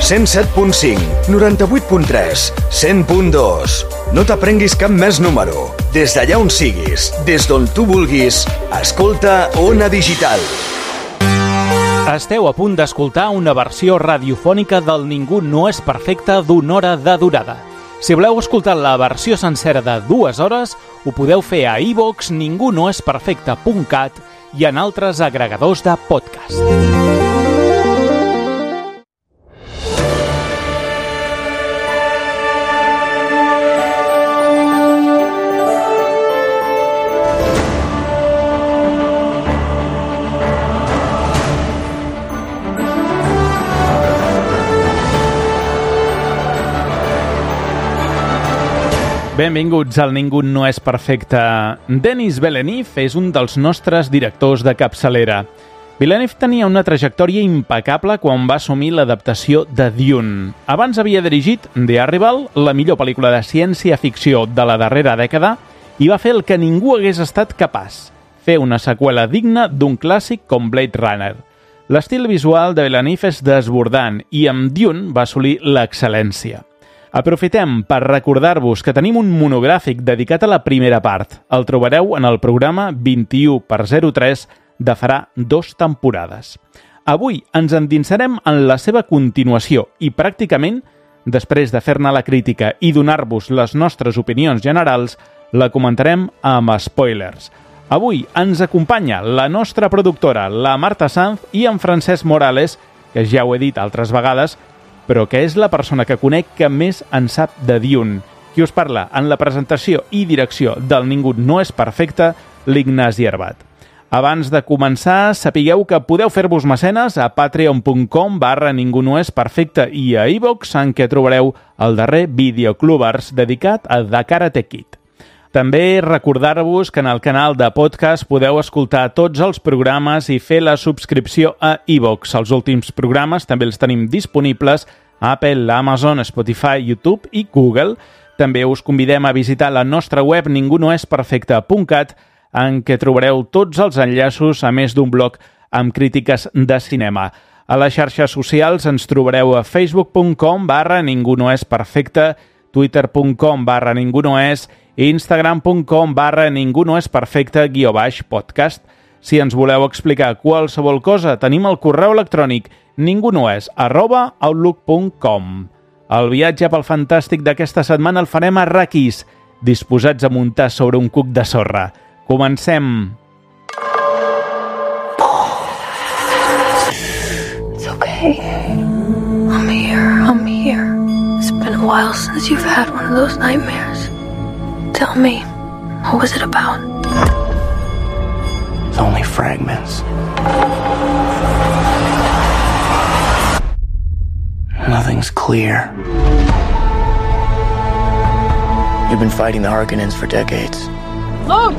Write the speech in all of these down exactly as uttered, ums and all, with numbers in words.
cent set punt cinc, noranta-vuit punt tres, cent punt dos. No t'aprenguis cap més número. Des d'allà on siguis, des d'on tu vulguis, escolta Ona Digital. Esteu a punt d'escoltar una versió radiofònica del Ningú no és perfecte d'una hora de durada. Si voleu escoltar la versió sencera de dues hores, ho podeu fer a iVoox, ningú no és perfecte punt cat i en altres agregadors de podcast. Benvinguts al Ningú no és perfecte. Denis Villeneuve és un dels nostres directors de capçalera. Villeneuve tenia una trajectòria impecable quan va assumir l'adaptació de Dune. Abans havia dirigit The Arrival, la millor pel·lícula de ciència-ficció de la darrera dècada, i va fer el que ningú hagués estat capaç, fer una seqüela digna d'un clàssic com Blade Runner. L'estil visual de Villeneuve és desbordant i amb Dune va assolir l'excel·lència. Aprofitem per recordar-vos que tenim un monogràfic dedicat a la primera part. El trobareu en el programa vint-i-u per zero tres de farà dues temporades. Avui ens endinsarem en la seva continuació i pràcticament, després de fer-ne la crítica i donar-vos les nostres opinions generals, la comentarem amb spoilers. Avui ens acompanya la nostra productora, la Marta Sanz, i en Francesc Morales, que ja ho he dit altres vegades, però que és la persona que conec que més en sap de Dune. Qui us parla en la presentació i direcció del Ningú no és perfecte, l'Ignasi Herbat. Abans de començar, sapigueu que podeu fer-vos mecenes a patreon punt com barra ningú no és perfecte i a iVoox, en què trobareu el darrer Videoclubers dedicat a The Karate Kid. També recordar-vos que en el canal de podcast podeu escoltar tots els programes i fer la subscripció a iVoox. Els últims programes també els tenim disponibles a Apple, Amazon, Spotify, YouTube i Google. També us convidem a visitar la nostra web ningú no és perfecte punt cat, en què trobareu tots els enllaços a més d'un blog amb crítiques de cinema. A les xarxes socials ens trobareu a facebook punt com barra ningú no és perfecte, twitter punt com barra ningú no és, instagram punt com barra ningú no és perfecte guió baix podcast. Si ens voleu explicar qualsevol cosa, tenim el correu electrònic ningunoes arroba outlook punt com. El viatge pel fantàstic d'aquesta setmana el farem a Arrakis, disposats a muntar sobre un cuc de sorra. Comencem! It's okay. I'm here, I'm here. It's been a while since you've had one of those nightmares. Tell me, what was it about? It's only fragments. Nothing's clear. You've been fighting the Harkonnens for decades. Look!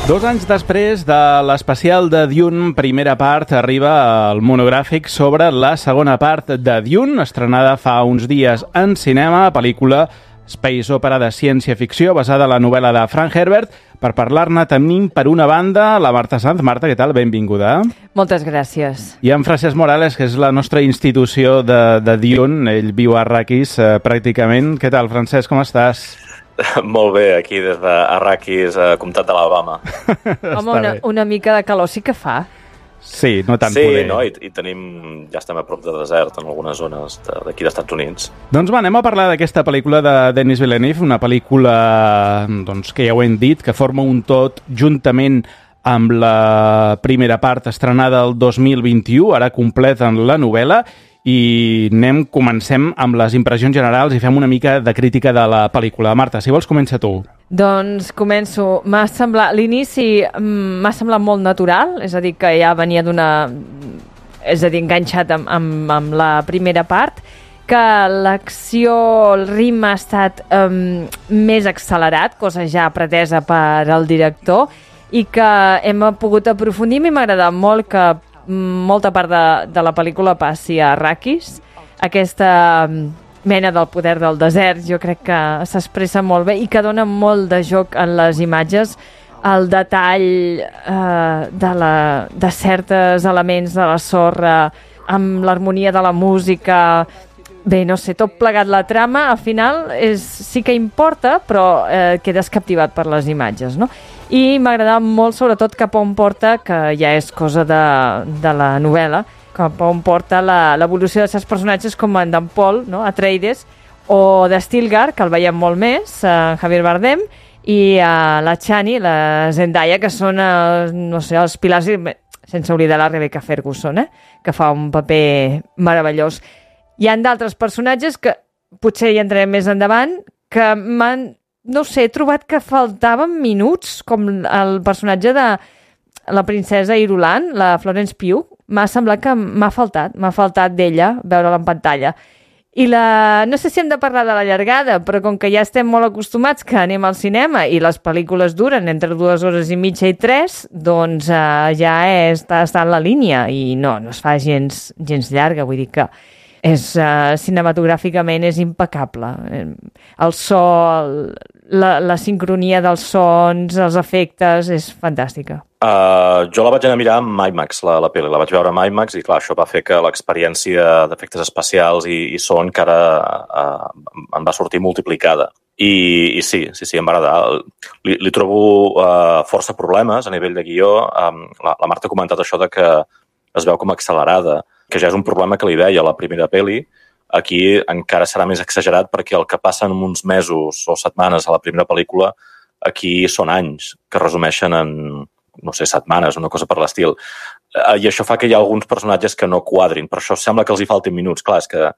Dos anys després de l'especial de Dune, primera part, arriba el monogràfic sobre la segona part de Dune, estrenada fa uns dies en cinema, pel·lícula space opera de ciència-ficció basada en la novel·la de Frank Herbert. Per parlar-ne tenim per una banda la Marta Sanz. Marta, què tal? Benvinguda. Moltes gràcies. I en Francesc Morales, que és la nostra institució de, de Dune. Ell viu a Arrakis, eh, pràcticament. Què tal, Francesc? Com estàs? Molt bé, aquí des d'Arrakis, a Comtat d'Alabama. Home, una, una mica de calor sí que fa. Sí, no tant sí, poder. no? I, i tenim, ja estem a prop de desert en algunes zones d'aquí dels Estats Units. Doncs va, anem a parlar d'aquesta pel·lícula de Denis Villeneuve, una pel·lícula doncs, que ja ho hem dit, que forma un tot juntament amb la primera part estrenada el dos mil vint-i-u, ara completen la novel·la, i anem, comencem amb les impressions generals i fem una mica de crítica de la pel·lícula. Marta, si vols, comença tu. Doncs començo. M'ha semblat, l'inici m'ha semblat molt natural, és a dir, que ja venia d'una... és a dir, enganxat amb, amb, amb la primera part, que l'acció, el ritme ha estat um, més accelerat, cosa ja pretesa per al director, i que hem pogut aprofundir. A mi m'ha agradat molt que molta part de, de la pel·lícula passi a Arrakis. Aquesta mena del poder del desert jo crec que s'expressa molt bé i que dona molt de joc en les imatges, el detall eh, de, la, de certs elements de la sorra amb l'harmonia de la música... Bé, no sé, tot plegat la trama, al final és, sí que importa, però eh, quedes captivat per les imatges, no? I m'agrada molt, sobretot, cap on porta, que ja és cosa de, de la novel·la, cap on porta l'evolució dels seus personatges com en d'en Paul, no? Atreides, o de Stilgar, que el veiem molt més, en Javier Bardem, i uh, la Chani, la Zendaya, que són, uh, no sé, els pilars, sense oblidar la Rebecca Ferguson, eh? Que fa un paper meravellós. Hi ha d'altres personatges que potser hi entrarem més endavant, que m'han, no sé, he trobat que faltaven minuts, com el personatge de la princesa Irulan, la Florence Pugh, m'ha semblat que m'ha faltat, m'ha faltat d'ella veure-la en pantalla. I la... no sé si hem de parlar de la llargada, però com que ja estem molt acostumats que anem al cinema i les pel·lícules duren entre dues hores i mitja i tres, doncs uh, ja està, està en la línia i no, no es fa gens, gens llarga, vull dir que és, uh, cinematogràficament és impecable. El so, el, la, la sincronia dels sons, els efectes, és fantàstica. Uh, jo la vaig anar a mirar amb IMAX, la, la pel·li. La vaig veure amb IMAX i, clar, això va fer que l'experiència d'efectes especials i, i so encara uh, em va sortir multiplicada. I, i sí, sí, sí, em va agradar. Li, li trobo uh, força problemes a nivell de guió. Um, la, la Marta ha comentat això de que es veu com accelerada, que ja és un problema que li veia a la primera pel·li. Aquí encara serà més exagerat perquè el que passa en uns mesos o setmanes a la primera pel·lícula, aquí són anys que resumeixen en, no sé, setmanes, una cosa per l'estil. I això fa que hi ha alguns personatges que no quadrin. Per això sembla que els hi faltin minuts. Clar, és que,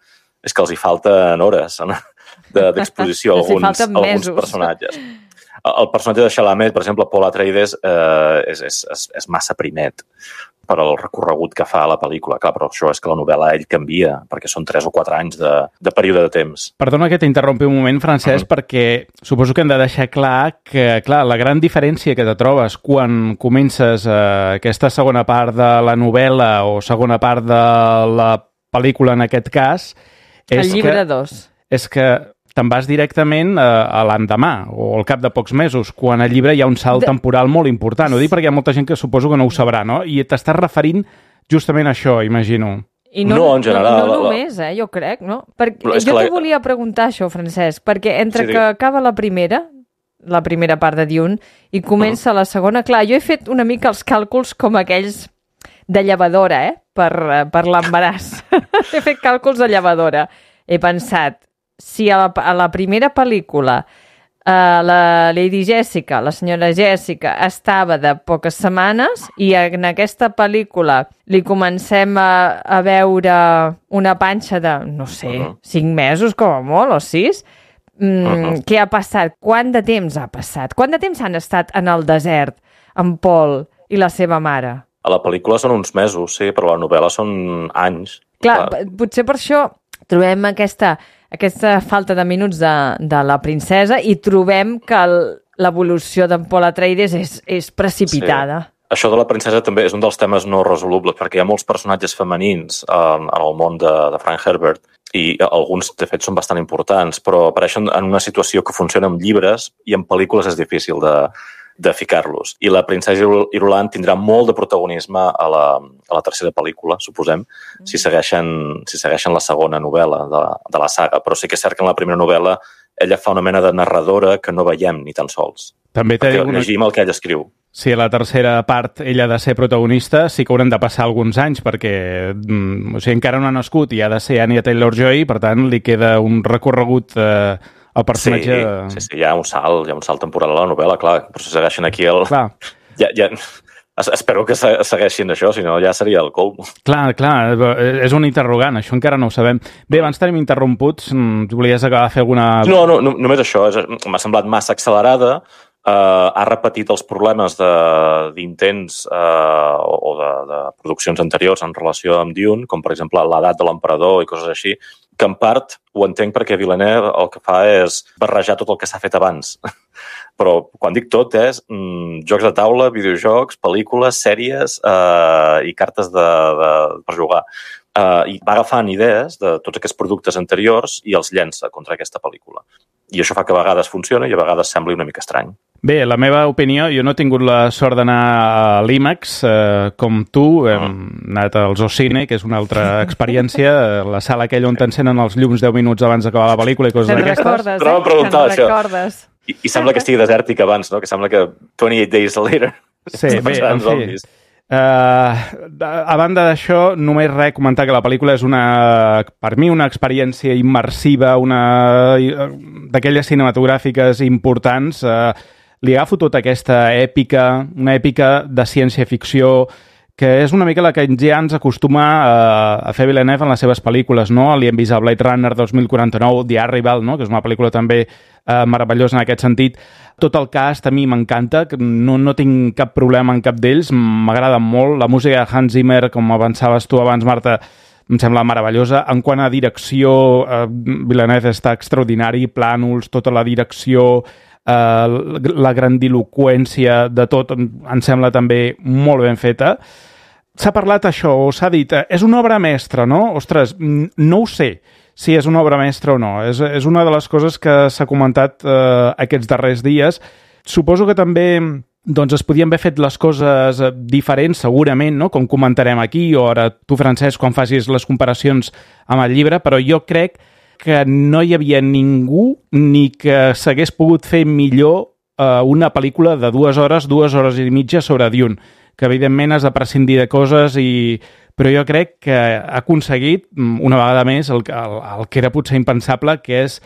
és que els hi falten hores d'exposició a alguns, alguns personatges. El personatge de Chalamet, per exemple, Paul Atreides, eh, és, és, és, és massa primet per al recorregut que fa a la pel·lícula. Clar, però això és que la novel·la ell canvia, perquè són tres o quatre anys de, de període de temps. Perdona que t'interrompi un moment, Francesc, uh-huh. perquè suposo que hem de deixar clar que, clar, la gran diferència que te trobes quan comences eh, aquesta segona part de la novel·la o segona part de la pel·lícula, en aquest cas... És el llibre que, dos. És que te'n vas directament a, a l'endemà o al cap de pocs mesos, quan al llibre hi ha un salt de... temporal molt important. Ho dic perquè hi ha molta gent que suposo que no ho sabrà, no? I t'estàs referint justament a això, imagino. I no, no, en general... No, no només, eh, jo crec, no? Perquè jo la... t'ho volia preguntar, això, Francesc, perquè entre sí, que acaba la primera, la primera part de Dune, i comença uh-huh. la segona, clar, jo he fet una mica els càlculs com aquells de llevadora, eh?, per, per l'embaràs. He fet càlculs de llevadora. He pensat, si a la, a la primera pel·lícula uh, la Lady Jessica, la senyora Jessica, estava de poques setmanes i en aquesta pel·lícula li comencem a, a veure una panxa de, no sé, uh-huh. cinc mesos com a molt, o sis, mm, uh-huh. què ha passat? Quant de temps ha passat? Quant de temps han estat en el desert en Paul i la seva mare? A la pel·lícula són uns mesos, sí, però a la novel·la són anys. Clar, clar. Potser per això trobem aquesta, aquesta falta de minuts de, de la princesa i trobem que l'evolució d'en Paul Atreides és, és precipitada. Sí. Això de la princesa també és un dels temes no resolubles, perquè hi ha molts personatges femenins en, en el món de, de Frank Herbert i alguns, de fet, són bastant importants, però apareixen en una situació que funciona en llibres i en pel·lícules és difícil de, de ficar-los. I la princesa Irulan tindrà molt de protagonisme a la, a la tercera pel·lícula, suposem, mm. si, segueixen, si segueixen la segona novel·la de, de la saga. Però sí que és cert que en la primera novel·la ella fa una mena de narradora que no veiem ni tan sols. També perquè una... llegim el que ella escriu. Si a la tercera part ella ha de ser protagonista, sí que hauran de passar alguns anys, perquè mm, o sigui, encara no ha nascut i ha de ser Anya Taylor-Joy, per tant, li queda un recorregut... Eh, el personatge... Sí, sí, sí, hi ha un salt, hi ha un salt temporal a la novel·la, clar, però si segueixen aquí el... Clar. Ja, ja... Espero que segueixin això, si no ja seria el colmo. Clar, clar, és un interrogant, això encara no ho sabem. Bé, abans tenim interromputs, volies acabar de fer alguna... No, no, no només això, m'ha semblat massa accelerada, Uh, ha repetit els problemes d'intents uh, o de, de produccions anteriors en relació amb Dune, com per exemple l'edat de l'emperador i coses així, que en part ho entenc perquè Villeneuve el que fa és barrejar tot el que s'ha fet abans. Però quan dic tot és mm, jocs de taula, videojocs, pel·lícules, sèries uh, i cartes de, de, per jugar. Uh, I va agafant idees de tots aquests productes anteriors i els llença contra aquesta pel·lícula. I això fa que a vegades funciona i a vegades sembli una mica estrany. Bé, la meva opinió, jo no he tingut la sort d'anar a l'IMAX eh, com tu, hem anat als Ocine, que és una altra experiència, la sala aquella on t'encenen els llums deu minuts abans d'acabar la pel·lícula i coses Te'n d'aquestes. recordes, Però eh? m'han preguntat Te'n això. recordes. I, I sembla que estigui desèrtic abans, no? Que sembla que twenty-eight days later... Sí, bé, en fi. Uh, a banda d'això, només res, comentar que la pel·lícula és una, per mi, una experiència immersiva, una d'aquelles cinematogràfiques importants. Uh, li agafo tota aquesta èpica, una èpica de ciència-ficció, que és una mica la que ja ens acostuma a, a fer Villeneuve en les seves pel·lícules, no? Li hem vist a Blade Runner dos mil quaranta-nou, The Arrival, no? Que és una pel·lícula també eh, meravellosa en aquest sentit. Tot el cast a mi m'encanta, no, no tinc cap problema en cap d'ells, m'agrada molt. La música de Hans Zimmer, com avançaves tu abans, Marta, em sembla meravellosa. En quant a direcció, eh, Villeneuve està extraordinari, plànols, tota la direcció... Uh, la grandiloqüència de tot em sembla també molt ben feta. S'ha parlat això, o s'ha dit, és una obra mestra, no? Ostres, no ho sé si és una obra mestra o no. És, és una de les coses que s'ha comentat uh, aquests darrers dies. Suposo que també doncs, es podien haver fet les coses diferents, segurament, no? Com comentarem aquí, o ara tu, Francesc, quan facis les comparacions amb el llibre, però jo crec que no hi havia ningú ni que s'hagués pogut fer millor eh, una pel·lícula de dues hores, dues hores i mitja sobre Dune, que evidentment has de prescindir de coses, i... però jo crec que ha aconseguit, una vegada més, el, el, el que era potser impensable, que és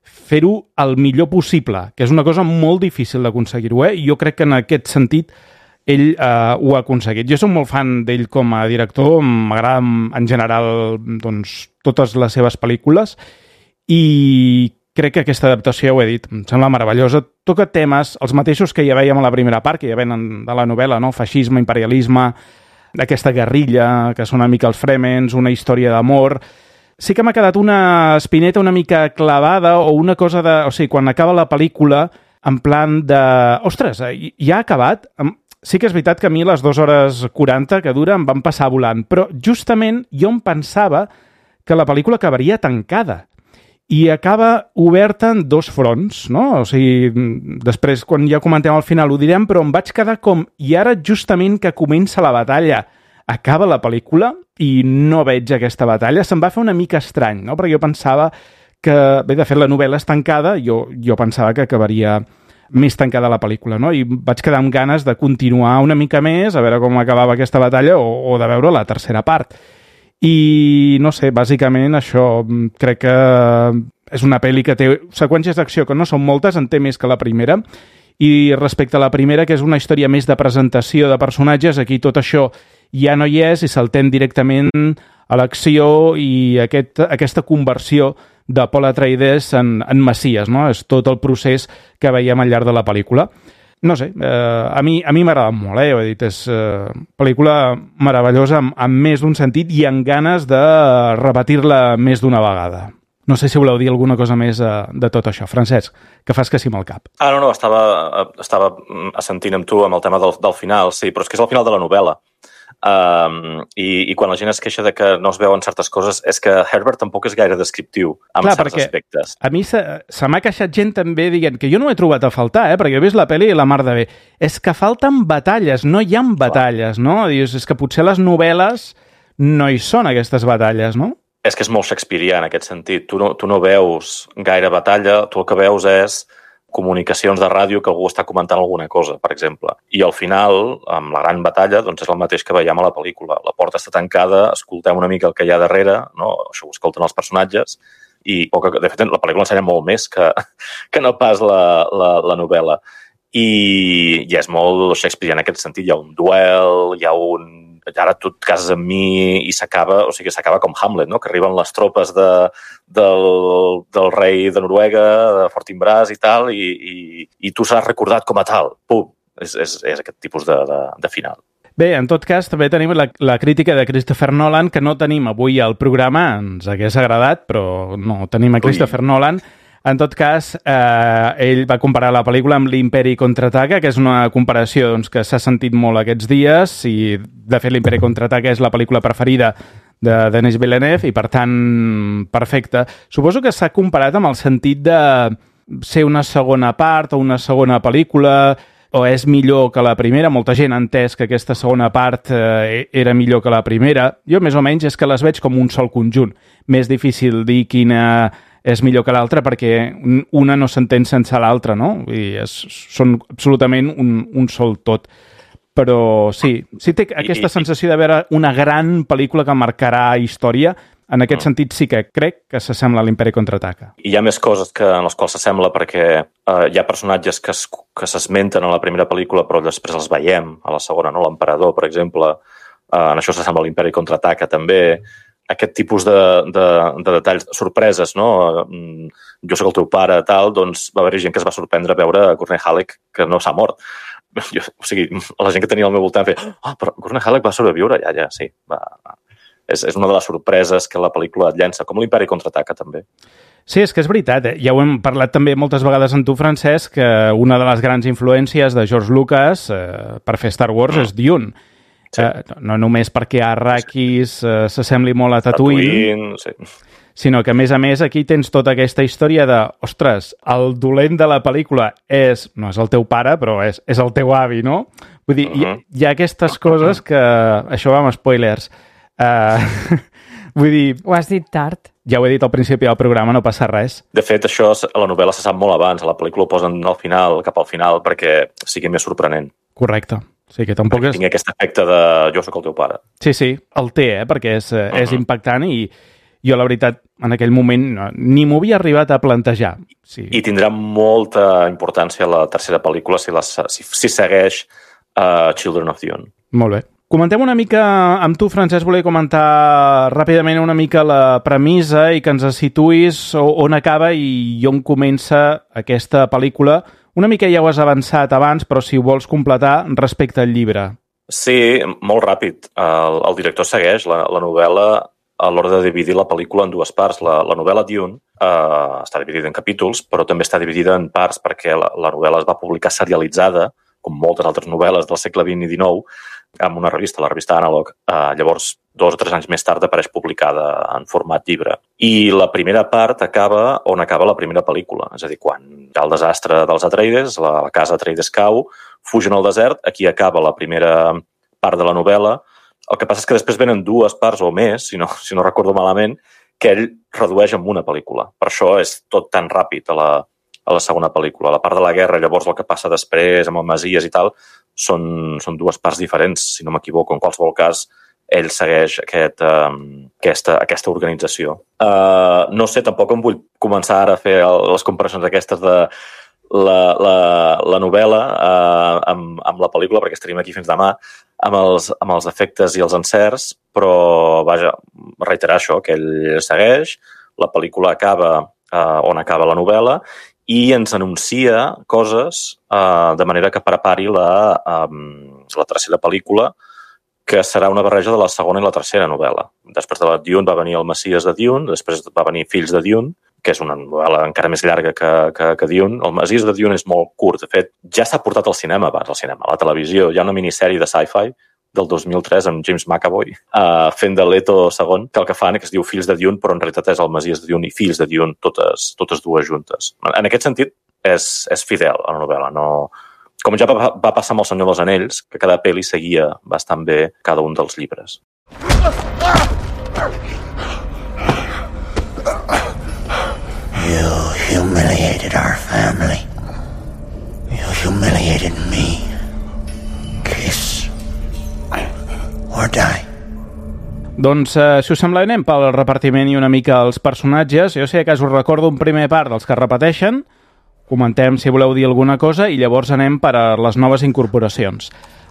fer-ho el millor possible, que és una cosa molt difícil d'aconseguir-ho, eh? I jo crec que en aquest sentit ell eh, ho ha aconseguit. Jo soc molt fan d'ell com a director, m'agrada en general doncs, totes les seves pel·lícules, i crec que aquesta adaptació, ja ho he dit, em sembla meravellosa. Toca temes, els mateixos que ja vèiem a la primera part, que ja venen de la novel·la, no? Feixisme, imperialisme, aquesta guerrilla, que són una mica els Fremens, una història d'amor. Sí que m'ha quedat una espineta una mica clavada, o una cosa de... O sigui, quan acaba la pel·lícula, en plan de... Ostres, ja ha acabat? Sí que és veritat que a mi les dues hores quaranta que dura em van passar volant, però justament jo em pensava que la pel·lícula acabaria tancada i acaba oberta en dos fronts, no? O sigui, després, quan ja comentem al final, ho direm, però em vaig quedar com... I ara, justament que comença la batalla, acaba la pel·lícula i no veig aquesta batalla, se'm va fer una mica estrany, no? Perquè jo pensava que... Bé, de fet, la novel·la és tancada, jo, jo pensava que acabaria més tancada la pel·lícula, no? I vaig quedar amb ganes de continuar una mica més, a veure com acabava aquesta batalla, o, o de veure la tercera part. I, no sé, bàsicament això, crec que és una pel·li que té seqüències d'acció que no són moltes, en té més que la primera, i respecte a la primera, que és una història més de presentació de personatges, aquí tot això ja no hi és i saltem directament a l'acció i aquest, aquesta conversió de Paul Atreides en, en Messies, no? És tot el procés que veiem al llarg de la pel·lícula. No sé, eh, a mi a mi m'ha agradat molt, eh? Ho he dit, és eh, pel·lícula meravellosa amb, amb més d'un sentit i amb ganes de repetir-la més d'una vegada. No sé si voleu dir alguna cosa més eh, de tot això. Francesc, que fas que sí amb el cap. Ah, no, no, estava, estava assentint amb tu amb el tema del, del final, sí, però és que és el final de la novel·la. Um, i, i quan la gent es queixa de que no es veuen certes coses és que Herbert tampoc és gaire descriptiu en Clar, certs aspectes. A mi se, se m'ha queixat gent també dient que jo no he trobat a faltar, eh, perquè he vist la pel·li i la mar de bé. És que falten batalles, no hi ha batalles, no? Dius, és que potser les novel·les no hi són aquestes batalles, no? És que és molt shakespearià en aquest sentit. Tu no, tu no veus gaire batalla, tu el que veus és comunicacions de ràdio que algú està comentant alguna cosa, per exemple. I al final, amb la gran batalla, doncs és el mateix que veiem a la pel·lícula. La porta està tancada, escoltem una mica el que hi ha darrere, no? Això ho escolten els personatges, i poca, de fet, la pel·lícula ensenya molt més que, que no pas la, la, la novel·la. I, I és molt Shakespeare en aquest sentit. Hi ha un duel, hi ha un... Ara tu et cases amb mi i s'acaba, o sigui, s'acaba com Hamlet, no? Que arriben les tropes de, del, del rei de Noruega, de Fortinbras i tal, i, i, i tu s'has recordat com a tal. Pum! És, és, és aquest tipus de, de, de final. Bé, en tot cas, també tenim la, la crítica de Christopher Nolan, que no tenim avui al programa, ens hagués agradat, però no tenim a Christopher Ui. Nolan. En tot cas, eh, ell va comparar la pel·lícula amb l'Imperi Contraataca, que és una comparació doncs, que s'ha sentit molt aquests dies, i de fet l'Imperi Contraataca és la pel·lícula preferida de Denis Villeneuve, i per tant, perfecte. Suposo que s'ha comparat amb el sentit de ser una segona part o una segona pel·lícula, o és millor que la primera. Molta gent ha entès que aquesta segona part eh, era millor que la primera. Jo, més o menys, és que les veig com un sol conjunt. Més difícil dir quina és millor que l'altra perquè una no s'entén sense l'altra, no? I és, són absolutament un, un sol tot. Però sí, sí té aquesta sensació de veure una gran pel·lícula que marcarà història. En aquest sentit sí que crec que s'assembla a l'Imperi Contraataca. I hi ha més coses que, en les quals s'assembla perquè eh, hi ha personatges que, es, que s'esmenten a la primera pel·lícula però després els veiem a la segona, no? L'emperador, per exemple, eh, en això s'assembla a l'Imperi Contraataca també. Aquest tipus de, de, de detalls, sorpreses, no? Jo sóc el teu pare, tal, doncs va haver gent que es va sorprendre a veure Gurney Halleck que no s'ha mort. Jo, o sigui, la gent que tenia al meu voltant feia oh, però Gurney Halleck va sobreviure? Ja, ja, sí, va... És, és una de les sorpreses que la pel·lícula et llença, com l'Imperi Contraataca, també. Sí, és que és veritat. Eh? Ja ho hem parlat també moltes vegades amb tu, Francesc, que una de les grans influències de George Lucas eh, per fer Star Wars és Dune. Sí. Eh, no només perquè Arrakis eh, s'assembli molt a Tatooine, Tatooine sí. sinó que, a més a més, aquí tens tota aquesta història de, ostres, el dolent de la pel·lícula és, no és el teu pare, però és, és el teu avi, no? Vull dir, uh-huh. hi, hi ha aquestes coses que... Això va amb spoilers. Uh, vull dir... Ho has dit tard. Ja ho he dit al principi del programa, no passa res. De fet, això a la novel·la se sap molt abans. A la pel·lícula ho posen al final, cap al final, perquè sigui més sorprenent. Correcte. O sigui que tampoc és... Tingui aquest efecte de jo sóc el teu pare. Sí, sí, el té, eh? Perquè és, uh-huh. és impactant i jo, la veritat, en aquell moment no, ni m'ho havia arribat a plantejar. Sí. I tindrà molta importància la tercera pel·lícula si, la, si, si segueix uh, Children of Dune. Molt bé. Comentem una mica amb tu, Francesc, volia comentar ràpidament una mica la premissa i que ens situïs on acaba i on comença aquesta pel·lícula. Una mica ja ho has avançat abans, però si ho vols completar respecte al llibre. Sí, molt ràpid. El, el director segueix la, la novel·la a l'hora de dividir la pel·lícula en dues parts. La, la novel·la Dune eh, està dividida en capítols, però també està dividida en parts perquè la, la novel·la es va publicar serialitzada, com moltes altres novel·les del segle vint i dinou, amb una revista, la revista Analog. Eh, llavors, dos o tres anys més tard apareix publicada en format llibre. I la primera part acaba on acaba la primera pel·lícula. És a dir, quan hi ha el desastre dels Atreides, la, la casa Atreides cau, fugen al desert, aquí acaba la primera part de la novel·la. El que passa és que després venen dues parts o més, si no, si no recordo malament, que ell redueix en una pel·lícula. Per això és tot tan ràpid a la, a la segona pel·lícula. La part de la guerra, llavors el que passa després amb el Messies i tal, són, són dues parts diferents, si no m'equivoco. En qualsevol cas, ell segueix aquest, um, aquesta, aquesta organització. Uh, no sé, tampoc em vull començar ara a fer el, les comparacions aquestes de la, la, la novel·la uh, amb, amb la pel·lícula, perquè estaríem aquí fins demà, amb els, amb els efectes i els encerts, però, vaja, reiterar això, que ell segueix, la pel·lícula acaba uh, on acaba la novel·la, i ens anuncia coses uh, de manera que prepari la, um, la tercera pel·lícula, que serà una barreja de la segona i la tercera novel·la. Després de la Dune va venir el Messies de Dune, després va venir Fills de Dune, que és una novel·la encara més llarga que, que, que Dune. El Messies de Dune és molt curt. De fet, ja s'ha portat al cinema abans, al cinema, a la televisió. Hi ha una minissèrie de sci-fi del dos mil tres amb James McAvoy uh, fent de Leto segon, que el que fan que es diu Fills de Dune, però en realitat és el Messies de Dune i Fills de Dune, totes, totes dues juntes. En aquest sentit, és, és fidel a la novel·la. No... Com ja va, va passar amb El Senyor dels Anells, que cada pel·li seguia bastant bé cada un dels llibres. You humiliated our family. You humiliated me. Kiss or die. Doncs, eh, si us sembla, anem pel repartiment i una mica els personatges. Jo sé que us recordo un primer part dels que repeteixen, comentem si voleu dir alguna cosa i llavors anem per a les noves incorporacions.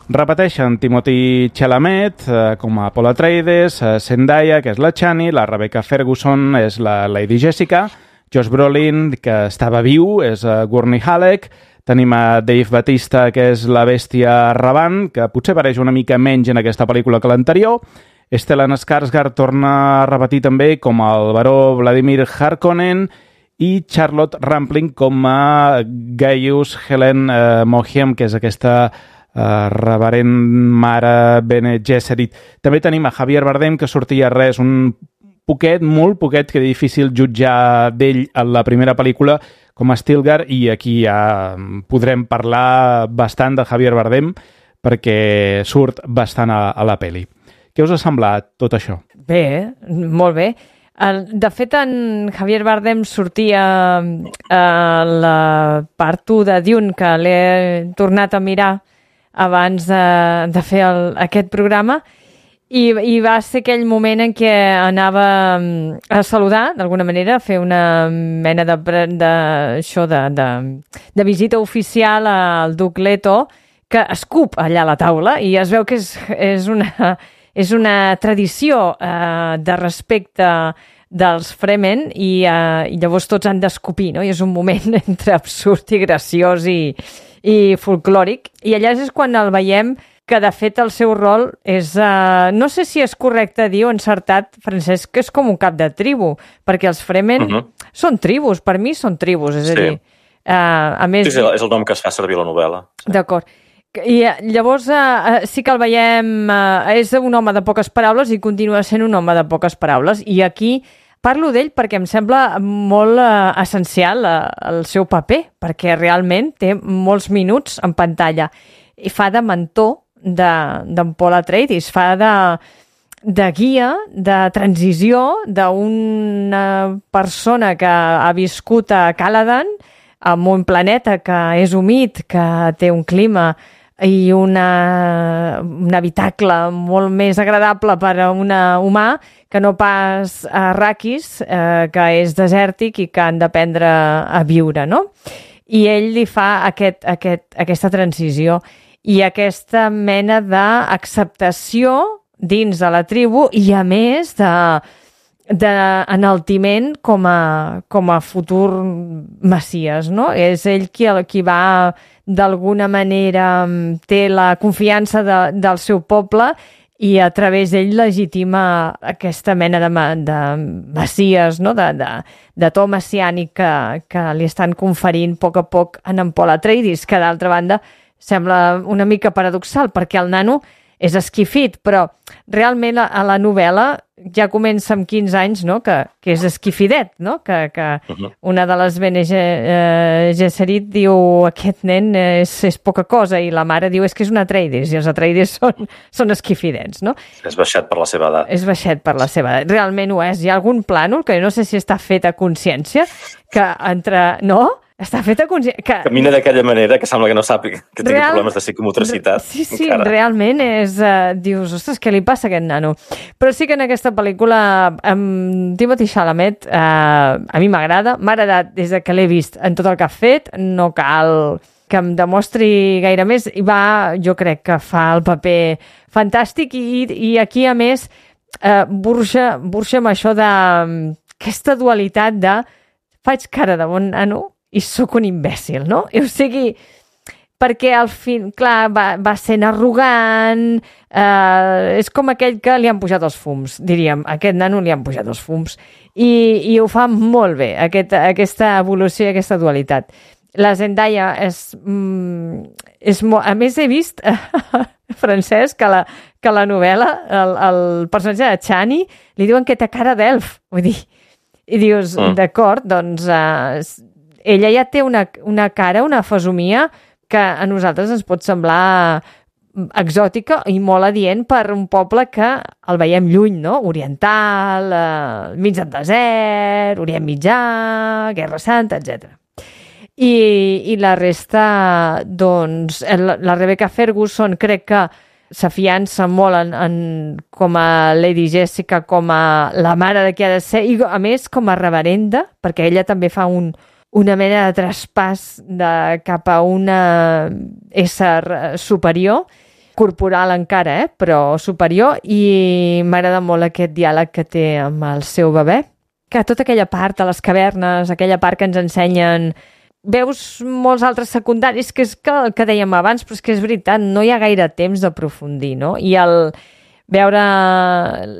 Repeteixen Timothée Chalamet eh, com a Paul Atreides, eh, Zendaya, que és la Chani, la Rebecca Ferguson és la Lady Jessica, Josh Brolin, que estava viu, és eh, Gurney Halleck, tenim a Dave Bautista, que és la bèstia Ravan, que potser apareix una mica menys en aquesta pel·lícula que l'anterior. Stellan Skarsgård torna a repetir també com el baró Vladimir Harkonnen i Charlotte Rampling com a Gaius Helen eh, Mohiem, que és aquesta eh, reverent mare Bene Gesserit. També tenim a Javier Bardem, que sortia res, un poquet, molt poquet, que és difícil jutjar d'ell en la primera pel·lícula, com a Stilgar, i aquí ja podrem parlar bastant de Javier Bardem perquè surt bastant a, a la pel·li. Què us ha semblat tot això? Bé, molt bé. De fet, en Javier Bardem sortia a la part u de Dune, que l'he tornat a mirar abans de, de fer el, aquest programa, i, i va ser aquell moment en què anava a saludar, d'alguna manera, a fer una mena de, de, això de, de, de visita oficial al Duc Leto, que escup allà a la taula, i es veu que és, és, una, és una tradició eh, de respecte dels Fremen, i, eh, i llavors tots han d'escupir, no? I és un moment entre absurd i graciós i, i folclòric, i allà és quan el veiem que de fet el seu rol és, uh, no sé si és correcte dir o encertat, Francesc, que és com un cap de tribu, perquè els Fremen uh-huh. són tribus, per mi són tribus, és sí. a dir... Uh, a més... Sí, sí, és el nom que es fa servir a la novel·la. Sí. D'acord. I llavors uh, sí que el veiem, uh, és un home de poques paraules i continua sent un home de poques paraules, i aquí parlo d'ell perquè em sembla molt uh, essencial uh, el seu paper, perquè realment té molts minuts en pantalla i fa de mentor d'en Paul Atreides, fa de, de guia, de transició d'una persona que ha viscut a Caladan, en un planeta que és humit, que té un clima i una, un habitacle molt més agradable per a un humà que no pas a Arrakis, eh, que és desèrtic i que han d'aprendre a viure, no? I ell li fa aquest, aquest, aquesta transició i aquesta mena d'acceptació dins de la tribu i, a més, de, d'enaltiment com a, com a futur messies, no? És ell qui, qui va, d'alguna manera, té la confiança de, del seu poble i a través d'ell legitima aquesta mena de, de messies, no? de, de, de to messiànic que, que li estan conferint a poc a poc en en Paul Atreides, que d'altra banda sembla una mica paradoxal, perquè el nano és esquifit, però realment a, a la novel·la ja comença amb quinze anys, no? que, que és esquifidet, no? que, que uh-huh. una de les Bene Gesserit diu aquest nen és, és poca cosa, i la mare diu és que és un Atreides, i els Atreides són, són esquifidets. No? És baixet per la seva edat. És baixet per la seva edat. Realment ho és. Hi ha algun plànol que no sé si està fet a consciència, que entre... No? Està fet a consciència... Que... Camina d'aquella manera que sembla que no sap que tingui Real... problemes de psicomotricitat. Sí, sí, encara. Realment és... Uh, dius, ostres, què li passa a aquest nano? Però sí que en aquesta pel·lícula amb Timothée Chalamet uh, a mi m'agrada, m'ha agradat des de que l'he vist en tot el que ha fet, no cal que em demostri gaire més, i va, jo crec que fa el paper fantàstic, i, i aquí, a més, uh, burxa, burxa amb això de aquesta dualitat de faig cara de bon nano i sóc un imbècil, no? I, o sigui, perquè al fin, clar, va, va sent arrogant, eh, és com aquell que li han pujat els fums, diríem, a aquest nano li han pujat els fums, i, i ho fa molt bé, aquest, aquesta evolució i aquesta dualitat. La Zendaya és... Mm, és molt... A més, he vist, Francesc, que la, que la novel·la, el, el personatge de Chani, li diuen que té cara d'elf, vull dir, i dius, mm. d'acord, doncs... Eh, ella ja té una, una cara, una fesomia que a nosaltres ens pot semblar exòtica i molt adient per un poble que el veiem lluny, no? Oriental, eh, mig del desert, Orient Mitjà, Guerra Santa, etcètera. I, i la resta, doncs, la, la Rebecca Ferguson crec que s'afiança molt en, en, com a Lady Jessica, com a la mare de qui ha de ser, i a més com a reverenda, perquè ella també fa un una mena de traspàs de, cap a una ésser superior, corporal encara, eh? però superior, i m'agrada molt aquest diàleg que té amb el seu bebè, que tota aquella part de les cavernes, aquella part que ens ensenyen, veus molts altres secundaris, que és que, el que dèiem abans, però és que és veritat, no hi ha gaire temps d'aprofundir, no? I el veure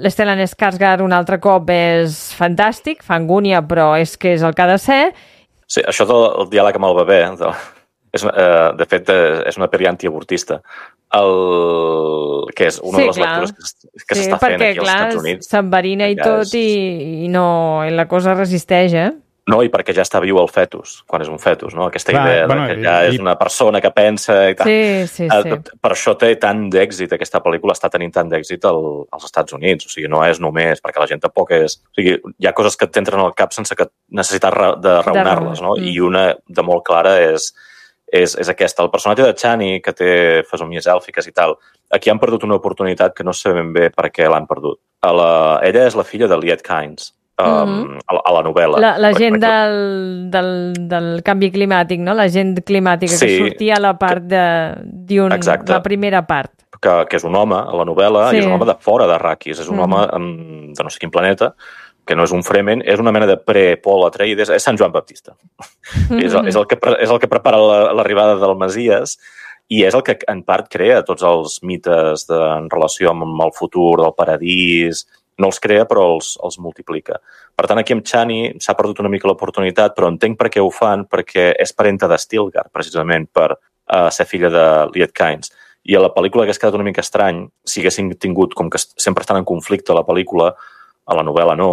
l'Stellan Skarsgård un altre cop és fantàstic, fa angúnia, però és que és el que ha de ser. Sí, això del diàleg amb el bebè, de, és, eh, de fet, és una pel·li antiavortista, el, que és una sí, de les clar. lectures que, que sí, s'està fent aquí als Estats Units. S'enverina i tot, i, i, no, i la cosa resisteix, eh? No, i perquè ja està viu el fetus, quan és un fetus, no? Aquesta Clar, idea bueno, que ja i... és una persona que pensa i tal. Sí, sí, sí. Per això té tant d'èxit, aquesta pel·lícula està tenint tant d'èxit al, als Estats Units. O sigui, no és només perquè la gent tampoc és... O sigui, hi ha coses que t'entren al cap sense que necessitar de raonar-les, no? I una de molt clara és, és, és aquesta. El personatge de Chani, que té fesomies èlfiques i tal, aquí han perdut una oportunitat que no sabem bé per què l'han perdut. A la... Ella és la filla de Liet Kynes, um, mm-hmm. a, la, a la novel·la. La, la gent del, del, del canvi climàtic, no? La gent climàtica sí, que sortia a la part de... d'un, la primera part. Que, que és un home a la novel·la, sí. I és un home de fora d'Arrakis, és un mm. home um, de no sé quin planeta, que no és un Fremen, és una mena de pre-Pol Atreides, és Sant Joan Baptista. Mm-hmm. és, el, és, el que, és el que prepara l'arribada del Messies i és el que en part crea tots els mites de, en relació amb el futur, del paradís. No els crea, però els, els multiplica. Per tant, aquí amb Chani s'ha perdut una mica l'oportunitat, però entenc per què ho fan, perquè és parenta de Stilgar, precisament, per uh, ser filla de Liet Kynes. I a la pel·lícula hagués quedat una mica estrany si haguessin tingut, com que sempre estan en conflicte a la pel·lícula, a la novel·la no,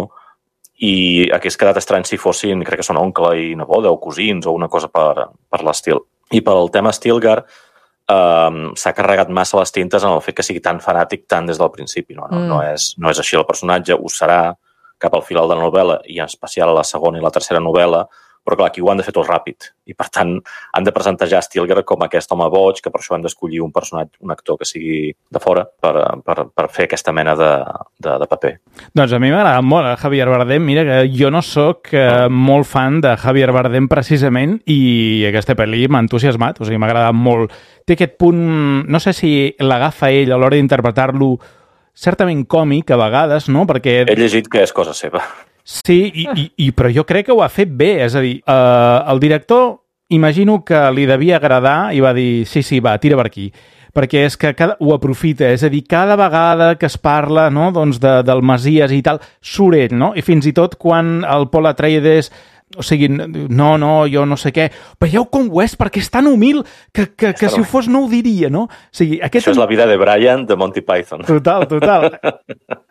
i hagués quedat estrany si fossin, crec que són oncle i neboda o cosins o una cosa per, per l'estil. I pel tema Stilgar, Um, s'ha carregat massa les tintes en el fet que sigui tan fanàtic tant des del principi. No, no, mm. no, és, no és així el personatge, ho serà cap al final de la novel·la i en especial a la segona i la tercera novel·la, però clar, aquí ho han de fer tot ràpid i per tant han de presentar ja Stilgar com aquest home boig, que per això han d'escollir un personatge, un actor que sigui de fora per, per, per fer aquesta mena de, de, de paper. Doncs a mi m'agrada molt eh, Javier Bardem. Mira que jo no sóc eh, mm. molt fan de Javier Bardem precisament i aquesta pel·li m'ha entusiasmat, o sigui, m'ha agradat molt. Té aquest punt, no sé si l'agafa ell a l'hora d'interpretar-lo certament còmic a vegades, no? Perquè... He llegit que és cosa seva. Sí, i, i, i, però jo crec que ho ha fet bé, és a dir, eh, el director imagino que li devia agradar i va dir, sí, sí, va, tira per aquí, perquè és que cada, ho aprofita, és a dir, cada vegada que es parla no, doncs de, del Messies i tal, surt ell, no? I fins i tot quan el Pol Atreides... O sigui, no, no, jo no sé què. Veieu com ho és, perquè és tan humil que, que, que si ho fos no ho diria, no? O sigui, aquest... Això és la vida de Brian de Monty Python. Total, total.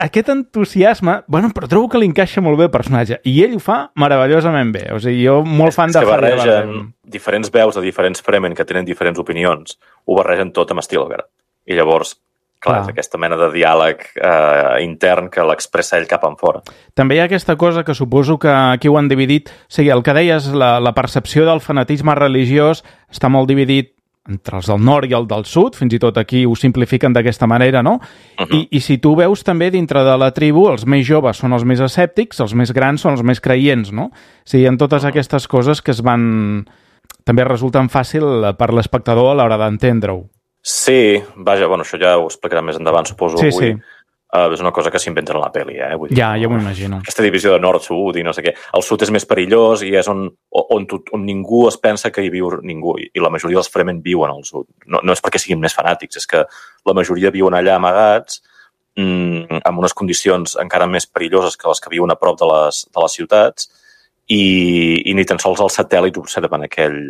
Aquest entusiasme, bueno, però trobo que li encaixa molt bé el personatge. I ell ho fa meravellosament bé. O sigui, jo molt fan de Javier Bardem. Diferents veus de diferents Fremen que tenen diferents opinions, ho barregen tot amb Stilgar. I llavors... Clar, és aquesta mena de diàleg eh, intern que l'expressa ell cap en fora. També hi ha aquesta cosa que suposo que aquí ho han dividit. O sigui, el que deies, la, la percepció del fanatisme religiós està molt dividit entre els del nord i el del sud, fins i tot aquí ho simplifiquen d'aquesta manera, no? Uh-huh. I, I si tu veus també dintre de la tribu, els més joves són els més escèptics, els més grans són els més creients, no? O sigui, en totes uh-huh. aquestes coses que es van... també resulten fàcil per l'espectador a l'hora d'entendre-ho. Sí, vaja, bueno, això ja ho explicarà més endavant, suposo. Sí, avui. sí. Uh, és una cosa que s'inventen a la pel·li, eh? Vull dir, ja, ja m'ho imagino. Aquesta divisió de nord-sud i no sé què. El sud és més perillós i és on, on, on ningú es pensa que hi viu ningú. I la majoria dels Fremen viuen al sud. No, no és perquè siguin més fanàtics, és que la majoria viuen allà amagats mmm, amb unes condicions encara més perilloses que les que viuen a prop de les, de les ciutats i, i ni tan sols els satèl·lits observen aquell,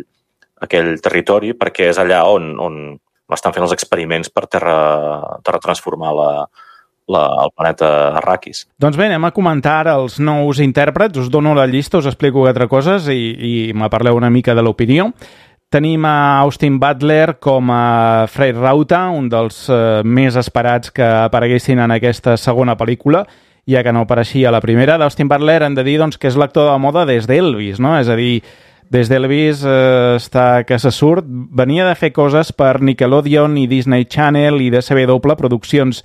aquell territori perquè és allà on... on estan fent els experiments per terra, terra transformar la, la, el planeta Arrakis. Doncs bé, anem a comentar ara els nous intèrprets. Us dono la llista, us explico quatre coses i, i me parleu una mica de l'opinió. Tenim a Austin Butler com a Frey Rauta, un dels eh, més esperats que apareguessin en aquesta segona pel·lícula, ja que no apareixia a la primera. D'Austin Butler hem de dir doncs, que és l'actor de moda des d'Elvis, no? És a dir, des d'Elvis eh, està que se surt. Venia de fer coses per Nickelodeon i Disney Channel i D C W, produccions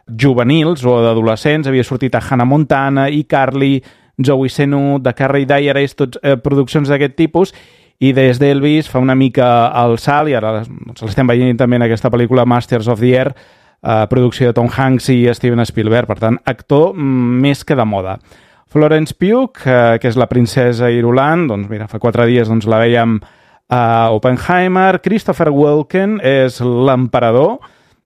juvenils o d'adolescents. Havia sortit a Hannah Montana, iCarly, Joey Senu, The Carrie Diaries, tots eh, produccions d'aquest tipus. I des d'Elvis fa una mica el salt, i ara doncs, l'estem veient també en aquesta pel·lícula Masters of the Air, eh, producció de Tom Hanks i Steven Spielberg. Per tant, actor més que de moda. Florence Pugh, eh, que és la princesa Irulan, doncs mira, fa quatre dies doncs, la veiem a Oppenheimer. Christopher Walken és l'emperador.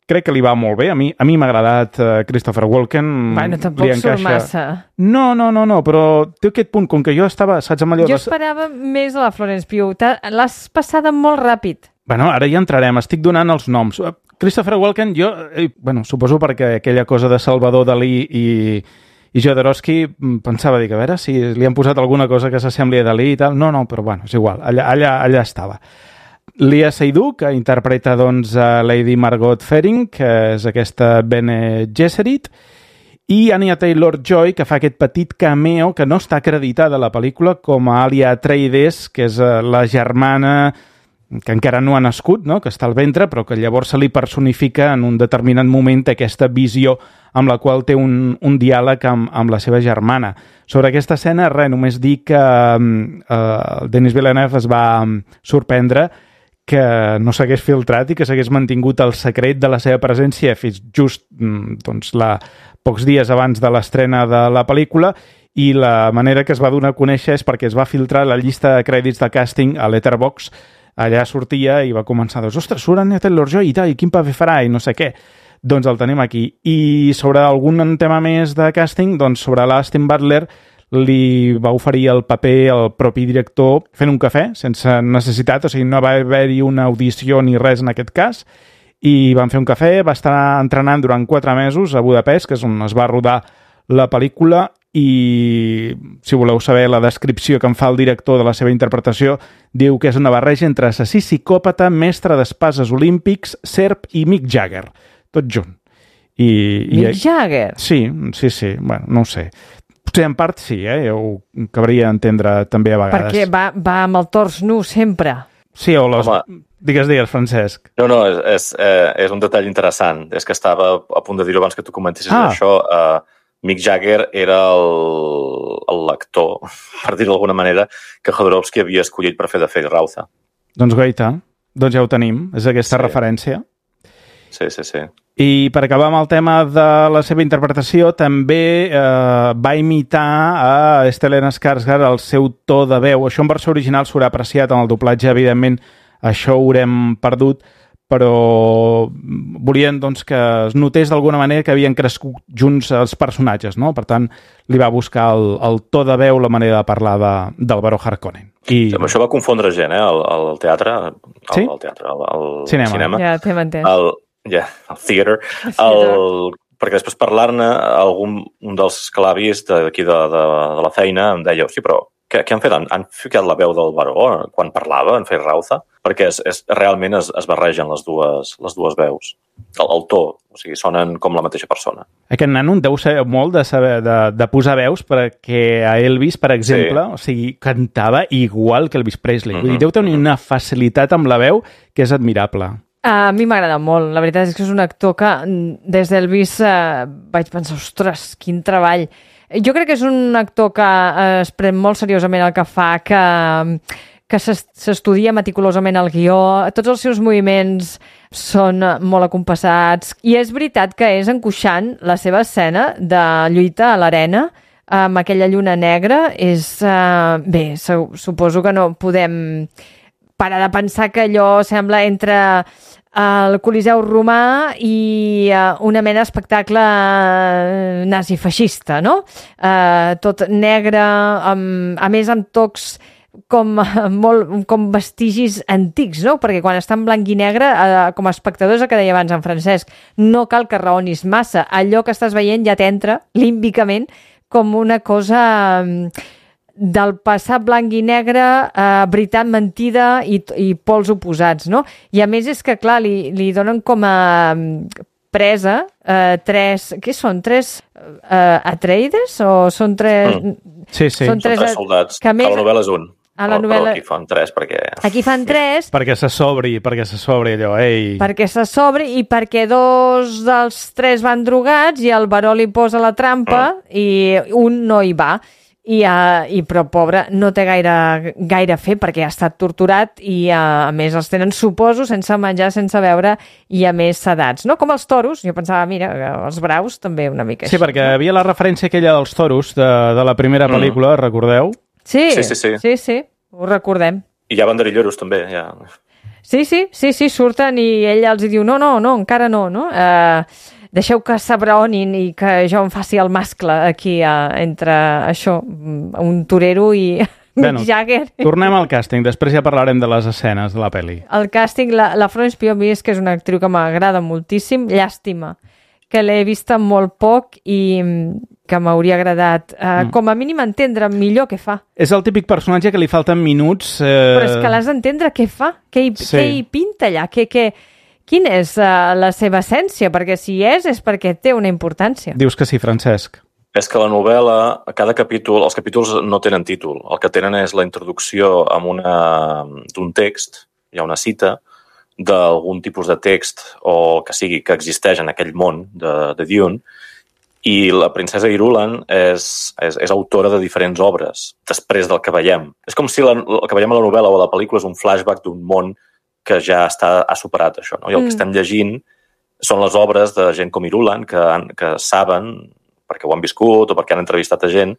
Crec que li va molt bé. A mi a mi m'ha agradat uh, Christopher Walken. Bueno, tampoc surt massa. No, no, no, no, però té aquest punt, com que jo estava, saps, amb allò... Jo esperava més de la Florence Pugh. L'has passada molt ràpid. Bueno, ara ja entrarem. Estic donant els noms. Christopher Walken, jo, eh, bueno, suposo perquè aquella cosa de Salvador Dalí i... I Jodorowsky pensava, dic, a veure si li han posat alguna cosa que s'assembli a Dalí i tal. No, no, però bueno, és igual, allà, allà, allà estava. Lia Seydoux, que interpreta doncs, a Lady Margot Fearing, que és aquesta Bene Gesserit, i Anya Taylor-Joy, que fa aquest petit cameo que no està acreditada a la pel·lícula com a Alia Atreides, que és la germana que encara no ha nascut, no? Que està al ventre, però que llavors se li personifica en un determinat moment aquesta visió amb la qual té un, un diàleg amb, amb la seva germana. Sobre aquesta escena, res, només dir que uh, Denis Villeneuve es va sorprendre que no s'hagués filtrat i que s'hagués mantingut el secret de la seva presència fins just doncs, la, pocs dies abans de l'estrena de la pel·lícula, i la manera que es va donar a conèixer és perquè es va filtrar la llista de crèdits de càsting a Letterboxd. Allà sortia i va començar, doncs, ostres, surt Anya Taylor-Joy i tal, i quin paper farà, i no sé què. Doncs el tenim aquí. I sobre algun tema més de càsting, doncs sobre l'Austin Butler li va oferir el paper al propi director fent un cafè, sense necessitat, o sigui, no va haver-hi una audició ni res en aquest cas, i van fer un cafè, va estar entrenant durant quatre mesos a Budapest, que és on es va rodar la pel·lícula, i si voleu saber la descripció que en fa el director de la seva interpretació, diu que és una barreja entre assassí psicòpata, mestre d'espases olímpics, serp i Mick Jagger, tot junt. I, Mick i, Jagger? Sí, sí, sí, bueno, no ho sé. Potser en part sí, eh? Ja ho cabria entendre també a vegades. Perquè va, va amb el tors nu sempre. Sí, o les... Home. Digues, digues, Francesc. No, no, és, és, eh, és un detall interessant. És que estava a punt de dir-ho abans que tu comentessis ah. això. Eh, Mick Jagger era el lector, per dir-ho d'alguna manera, que Jodorowsky havia escollit per fer de Fede Rauza. Doncs goita, doncs ja ho tenim, és aquesta sí. referència. Sí, sí, sí. I per acabar amb el tema de la seva interpretació, també eh, va imitar a Stellan Skarsgård el seu to de veu. Això en versió original s'haurà apreciat en el doblatge, evidentment, això ho haurem perdut, però volien doncs, que es notés d'alguna manera que havien crescut junts els personatges, no? Per tant, li va buscar el, el to de veu, la manera de parlar de, del Baró Harkonnen. I... Sí, això va confondre gent, eh? El, el teatre, el, sí? el teatre, el, el cinema. cinema. Ja t'hem entès. El, yeah, el theater. El, perquè després parlar-ne, algun un dels que l'ha vist d'aquí de, de, de la feina em deia, sí, però què, què han fet? Han, han ficat la veu del Baró quan parlava, en Fede Rauza? Perquè és, és, realment es, es barregen les dues, les dues veus. El, el to, o sigui, sonen com la mateixa persona. Aquest nano deu saber molt de, saber, de, de posar veus, perquè a Elvis, per exemple, sí. o sigui, cantava igual que Elvis Presley. Mm-hmm. Vull dir, deu tenir una facilitat amb la veu que és admirable. A mi m'agrada molt. La veritat és que és un actor que des d'Elvis eh, vaig pensar, ostres, quin treball. Jo crec que és un actor que eh, es pren molt seriosament el que fa, que... que s'estudia meticulosament el guió, tots els seus moviments són molt acompassats, i és veritat que és angoixant la seva escena de lluita a l'arena amb aquella lluna negra. És, uh, bé, suposo que no podem parar de pensar que allò sembla entre el Coliseu romà i uh, una mena d'espectacle nazi-feixista, no? Uh, tot negre, amb, a més amb tocs com, molt, com vestigis antics, no? Perquè quan està en blanc i negre, eh, com a espectadors, el que deia abans en Francesc, no cal que raonis massa. Allò que estàs veient ja t'entra límbicament com una cosa del passat blanc i negre, eh, veritat mentida i, i pols oposats, no? I a més és que, clar, li, li donen com a presa eh, tres... Què són? Tres eh, Atreides? O són tres... Mm. Sí, sí. Són tres, són tres soldats. Que més... A la novel·la és un. A la novel·la... Però aquí fan tres, perquè... Aquí fan tres... Perquè se sobri, perquè se sobri allò, ei... Perquè se sobri i perquè dos dels tres van drogats i el Baró li posa la trampa mm. i un no hi va. I, uh, i però, pobre, no té gaire, gaire fe perquè ha estat torturat i, uh, a més, els tenen, suposo, sense menjar, sense beure i, a més, sedats. No? Com els toros. Jo pensava, mira, els braus també una mica sí, així. Sí, perquè no? havia la referència aquella dels toros de, de la primera pel·lícula, mm. recordeu? Sí, sí, sí, sí. sí, sí, ho recordem. I hi ha banderilleros, també, ja... Sí, sí, sí, sí, surten i ell els diu, no, no, no, encara no, no? Uh, deixeu que s'abraonin i que jo em faci el mascle aquí uh, entre això, un torero i bueno, Mick Jagger. Tornem al càsting, després ja parlarem de les escenes de la pel·li. El càsting, la, la Florence Pugh, a mi és que és una actriu que m'agrada moltíssim, llàstima, que l'he vista molt poc i que m'hauria agradat, uh, mm. com a mínim entendre millor què fa. És el típic personatge que li falten minuts... Eh... Però és que l'has d'entendre què fa, què hi, sí. què hi pinta allà, què, què, quina és uh, la seva essència, perquè si és, és perquè té una importància. Dius que sí, Francesc. És que la novel·la, a cada capítol, els capítols no tenen títol. El que tenen és la introducció amb una d'un text, hi ha una cita d'algun tipus de text o el que sigui que existeix en aquell món de, de Dune, i la princesa Irulan és, és, és autora de diferents obres després del que veiem. És com si la, el que veiem a la novel·la o a la pel·lícula és un flashback d'un món que ja està, ha superat això, no? I el mm. que estem llegint són les obres de gent com Irulan que, han, que saben, perquè ho han viscut o perquè han entrevistat a gent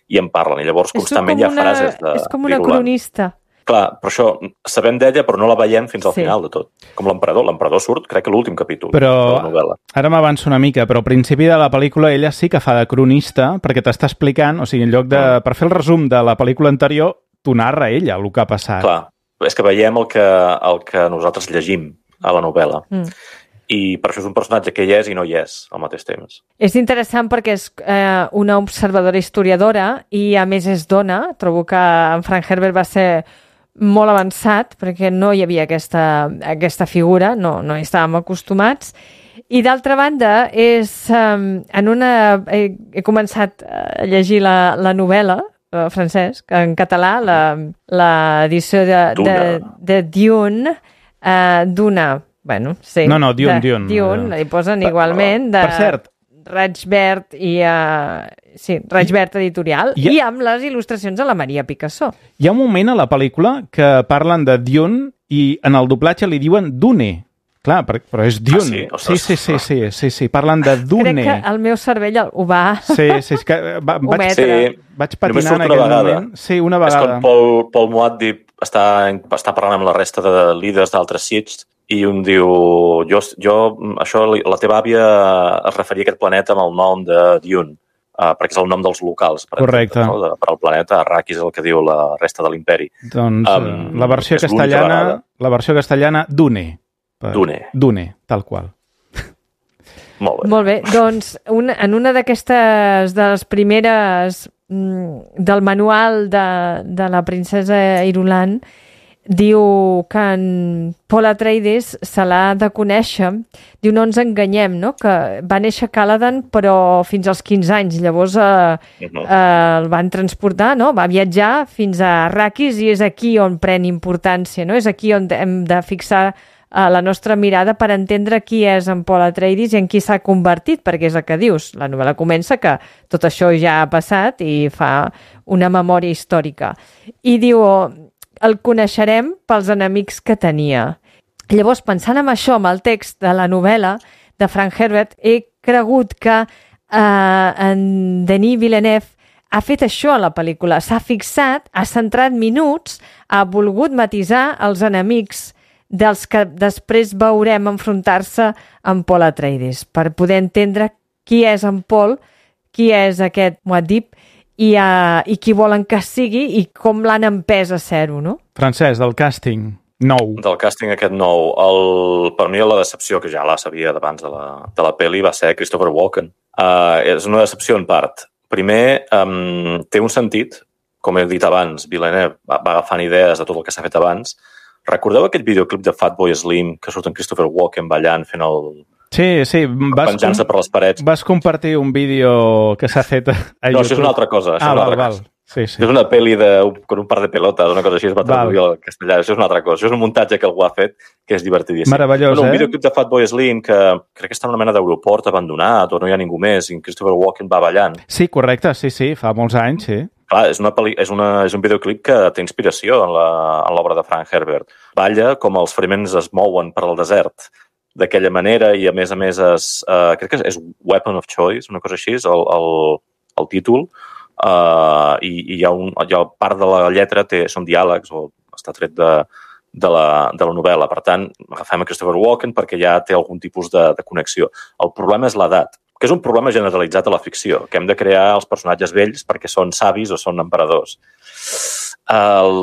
i en parlen. I llavors constantment hi ha una, frases de És com una Irulan. Cronista. Clar, però això, sabem d'ella, però no la veiem fins al sí. final de tot. Com l'emperador. L'emperador surt, crec que l'últim capítol però, de la novel·la. Ara m'avanço una mica, però al principi de la pel·lícula ella sí que fa de cronista, perquè t'està explicant, o sigui, en lloc de... Mm. Per fer el resum de la pel·lícula anterior, t'ho narra ella, el que ha passat. Clar, és que veiem el que, el que nosaltres llegim a la novel·la. Mm. I per això és un personatge que hi és i no hi és al mateix temps. És interessant perquè és eh, una observadora historiadora i a més és dona. Trobo que en Frank Herbert va ser molt avançat perquè no hi havia aquesta, aquesta figura, no, no hi estàvem acostumats. I d'altra banda, és, eh, en una, he, he començat a llegir la, la novel·la, eh, Francesc, en català, l'edició de, de, de Dune, eh, d'una... Bueno, sí. No, no, Dune, de, Dune. Dune, hi posen igualment de per cert, Raig Verd i... Uh, sí, Raig Verd editorial i, i amb les il·lustracions de la Maria Picasso. Hi ha un moment a la pel·lícula que parlen de Dune i en el doblatge li diuen Dune. Clar, però és Dune. Ah, sí? Sí, sí, sí, sí, sí, sí, parlen de Dune. Crec que el meu cervell ho va... Sí, sí, és que va, vaig, sí, vaig patinar en aquell vegada. moment. Sí, una vegada. És quan Paul, Paul Muad'Dib està, està parlant amb la resta de líders d'altres sits i un diu, jo, jo, això, la teva àvia es referia a aquest planeta amb el nom de Dune, uh, perquè és el nom dels locals. Per Correcte. Exemple, no? de, per al planeta, Arrakis és el que diu la resta de l'imperi. Doncs um, la versió castellana, la versió castellana, Dune. Per, Dune. Dune, tal qual. Molt bé. Molt bé, doncs una, en una d'aquestes, de les primeres del manual de, de la princesa Irulan, diu que en Paul Atreides se l'ha de conèixer. Diu, no ens enganyem, no? Que va néixer a Caladan, però fins als quinze anys. Llavors eh, uh-huh. eh, el van transportar, no? Va viatjar fins a Arrakis i és aquí on pren importància, no? És aquí on hem de fixar eh, la nostra mirada per entendre qui és en Paul Atreides i en qui s'ha convertit, perquè és el que dius. La novel·la comença que tot això ja ha passat i fa una memòria històrica. I diu... el coneixerem pels enemics que tenia. Llavors, pensant en això, amb el text de la novel·la de Frank Herbert, he cregut que eh, en Denis Villeneuve ha fet això a la pel·lícula. S'ha fixat, ha centrat minuts, ha volgut matisar els enemics dels que després veurem enfrontar-se amb Paul Atreides, per poder entendre qui és en Paul, qui és aquest Muad'Dib, I, uh, i qui volen que sigui i com l'han empès a ser-ho, no? Francesc, del càsting nou. Del càsting aquest nou. El, per mi la decepció, que ja la sabia d'abans de la, de la pel·li, va ser Christopher Walken. Uh, és una decepció en part. Primer, um, té un sentit, com he dit abans, Villeneuve va, va agafant idees de tot el que s'ha fet abans. Recordeu aquell videoclip de Fatboy Slim que surt en Christopher Walken ballant fent el... Sí, sí. Vas penjant-se per les parets. Vas compartir un vídeo que s'ha fet a YouTube. No, això és una altra cosa. Això ah, és una val, altra val. cosa. Sí, sí. És una pel·li de, con un par de pelotes, una cosa així, es va traduir al castellà. Això és una altra cosa. Això és un muntatge que algú ha fet que és divertidíssim. Meravellós, bueno, un eh? Un videoclip de Fatboy Slim que crec que està en una mena d'aeroport abandonat o no hi ha ningú més i Christopher Walken va ballant. Sí, correcte, sí, sí, fa molts anys, sí. Clar, és, una peli, és, una, és un videoclip que té inspiració en l'obra de Frank Herbert. Balla com els feriments es mouen per al desert d'aquella manera i a més a més és, uh, crec que és Weapon of Choice, una cosa així, és el, el, el títol, uh, i, i hi ha, un, hi ha part de la lletra té, són diàlegs o està tret de, de, la, de la novel·la. Per tant, agafem a Christopher Walken perquè ja té algun tipus de, de connexió. El problema és l'edat, que és un problema generalitzat a la ficció, que hem de crear els personatges vells perquè són savis o són emperadors. El,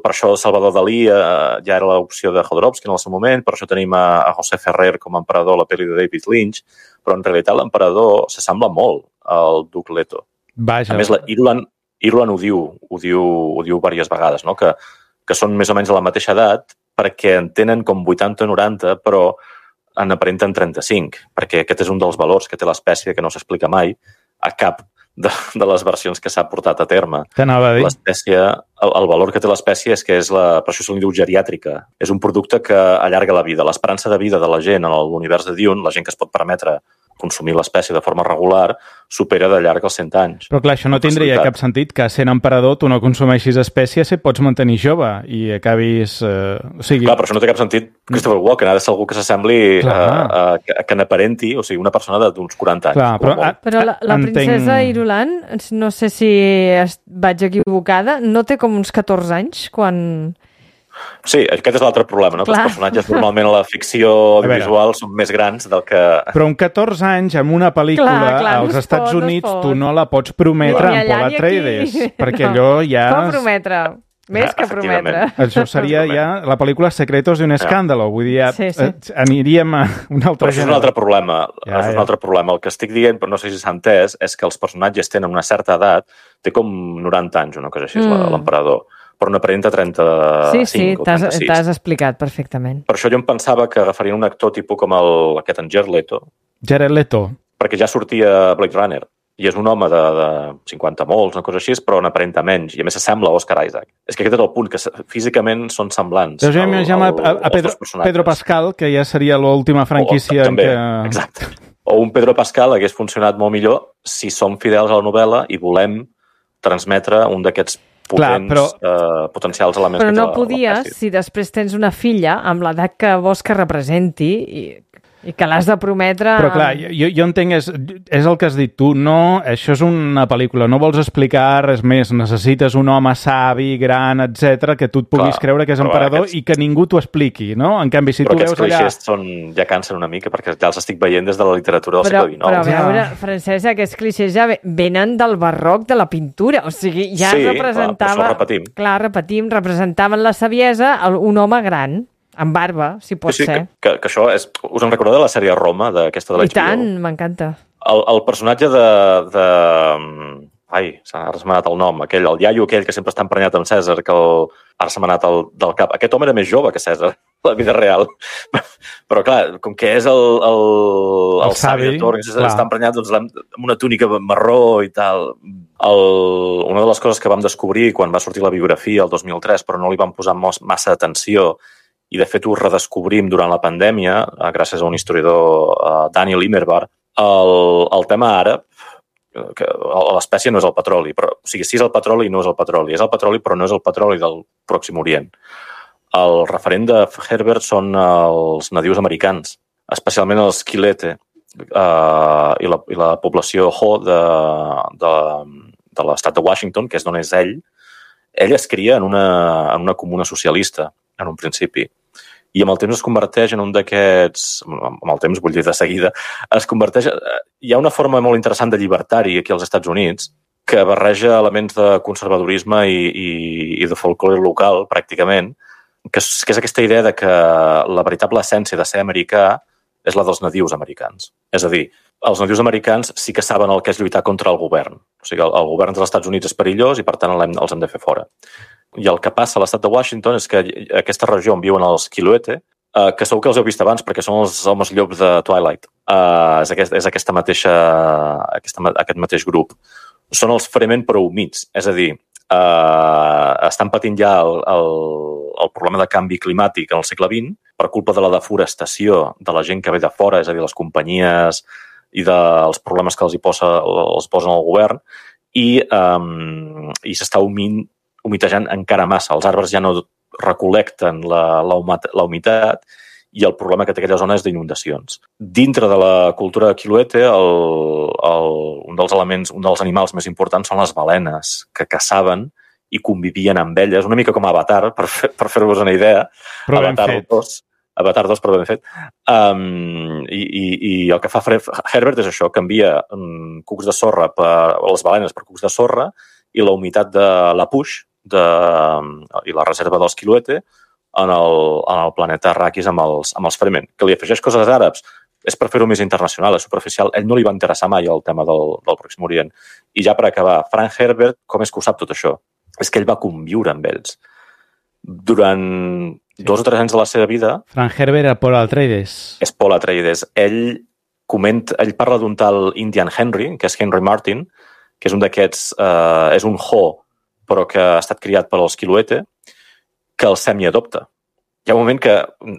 per això Salvador Dalí eh, ja era l'opció de Jodorowsky en el seu moment, per això tenim a, a José Ferrer com a emperador a la pel·li de David Lynch, però en realitat l'emperador s'assembla molt el Duc Leto. Vaja. A més, la Irulan, Irulan ho diu, ho diu, ho diu diverses vegades, no? que, que són més o menys de la mateixa edat perquè en tenen com vuitanta o noranta, però en aparenten trenta-cinc, perquè aquest és un dels valors que té l'espècie que no s'explica mai a cap de, de les versions que s'ha portat a terme. T'anava a dir. L'espècie, el, el valor que té l'espècie és que és la, per això se li diu geriàtrica. És un producte que allarga la vida. L'esperança de vida de la gent en l'univers de Dune, la gent que es pot permetre consumir l'espècie de forma regular, supera de llarg els cent anys. Però clar, això no tindria cap sentit, que sent emperador tu no consumeixis espècie si et pots mantenir jove i acabis... Eh, o sigui... Clar, però això no té cap sentit. Christopher Walken ha de ser algú que s'assembli a, a, a, que n'aparenti, o sigui, una persona d'uns quaranta anys. Clar, però a, però la, la princesa entenc... Irulan, no sé si vaig equivocada, no té com uns catorze anys quan... Sí, aquest és l'altre problema, no? Que els personatges normalment a la ficció audiovisual són més grans del que... Però amb catorze anys, en una pel·lícula, clar, clar, als no Estats pot, Units, no tu no la pots prometre amb Paul Atreides, perquè no. allò ja... Com prometre? Més que prometre. Això seria ja la pel·lícula Secretos d'un escàndalo. Vull dir, ja sí, sí. aniríem a un altre gènere. Això és un altre problema. Ja, és un altre problema. El que estic dient, però no sé si s'ha entès, és que els personatges tenen una certa edat, té com noranta anys, una cosa així, mm. l'emperador, però no aparenta trenta-cinc sí, sí, o trenta-sis. Sí, t'has explicat perfectament. Per això jo em pensava que agafarien un actor tipus com el, aquest en Jared Leto. Jared Leto. Perquè ja sortia Blade Runner. I és un home de, de cinquanta molts, una cosa així, però n'aparenta menys. I a més s'assembla a Oscar Isaac. És que aquest és el punt, que físicament són semblants. Jo ja m'imagino a, a Pedro, Pedro Pascal, que ja seria l'última franquícia o, també, en què... Exacte. O un Pedro Pascal hagués funcionat molt millor si som fidels a la novel·la i volem transmetre un d'aquests potents, Clar, però, eh, potencials elements. Però no podies, si després tens una filla amb l'edat que vols que representi i, i que l'has de prometre... Però clar, jo, jo entenc, és, és el que has dit tu, no, això és una pel·lícula, no vols explicar res més, necessites un home savi, gran, etcètera, que tu et puguis clar, creure que és emperador aquests... i que ningú t'ho expliqui, no? En canvi, si però tu veus allà... Però aquests clixés són, ja cansen una mica, perquè ja els estic veient des de la literatura del però, segle dinou. Però a veure, Francesc, aquests clixés ja venen del barroc de la pintura, o sigui, ja sí, representava... Sí, clar, repetim. Clar, repetim, representaven la saviesa un home gran, amb barba, si pot sí, sí, ser. Que, que això és... Us en recordeu de la sèrie Roma, d'aquesta de l'H B O? I tant, m'encanta. El, el personatge de... de... Ai, ara se m'ha anat el nom. Aquell, el iaio aquell que sempre està emprenyat amb Cèsar, que el... ara se m'ha anat el, del cap. Aquest home era més jove que Cèsar, la vida real. Però, clar, com que és el, el, el, el savi de Torres, està emprenyat doncs, amb una túnica marró i tal. El, una de les coses que vam descobrir quan va sortir la biografia el dos mil tres, però no li vam posar massa atenció, i de fet ho redescobrim durant la pandèmia, gràcies a un historiador, uh, Daniel Immerwahr, el, el tema àrab, que l'espècie no és el petroli, però, o sigui, sí és el petroli i no és el petroli, és el petroli però no és el petroli del Pròxim Orient. El referent de Herbert són els nadius americans, especialment els Quilete uh, i, la, i la població Ho de, de, de l'estat de Washington, que és d'on és ell. Ell es cria en una, en una comuna socialista, en un principi. I amb el temps es converteix en un d'aquests... Amb el temps, vull dir de seguida, es converteix... Hi ha una forma molt interessant de llibertari aquí als Estats Units que barreja elements de conservadorisme i, i, i de folclore local, pràcticament, que és, que és aquesta idea de que la veritable essència de ser americà és la dels nadius americans. És a dir, els nadius americans sí que saben el que és lluitar contra el govern. O sigui, el, el govern dels Estats Units és perillós i, per tant, els hem de fer fora. I el que passa a l'estat de Washington és que aquesta regió on viuen els Quiloete, eh, que segur que els heu vist abans perquè són els homes llops de Twilight, eh, és, aquest, és aquesta mateixa, aquesta, aquest mateix grup. Són els Fremen però humits, és a dir, eh, estan patint ja el, el, el problema de canvi climàtic en el segle vint per culpa de la deforestació de la gent que ve de fora, és a dir, les companyies i dels problemes que els hi posa, els posen al govern, i, um, i s'està humint, humitejant encara massa. Els arbres ja no recolecten la, la, la humitat i el problema que té aquella zona és d'inundacions. Dintre de la cultura de Quiloete, el, el, un dels elements, un dels animals més importants són les balenes, que caçaven i convivien amb elles, una mica com Avatar, per, fer, per fer-vos una idea. Però ben Avatar fet. dos, Avatar dos, però ben fet. Um, i, i, I el que fa Herbert és això, canvia um, cucs de sorra, per, les balenes per cucs de sorra, i la humitat de la Puix, de, i la reserva dels Quiloete en el, en el planeta Arrakis amb els, amb els Fremen, que li afegeix coses àrabs. és per fer-ho més internacional, és superficial. A ell no li va interessar mai el tema del, del Pròxim Orient. I ja per acabar, Frank Herbert, com és que ho sap tot això? És que ell va conviure amb ells. Durant sí. dos o tres anys de la seva vida... Frank Herbert era Paul Atreides. És Paul Atreides. Ell, comenta, ell parla d'un tal Indian Henry, que és Henry Martin, que és un d'aquests... Eh, és un Ho, però que ha estat criat per als Quiluete, que el semi-adopta. Hi ha un moment que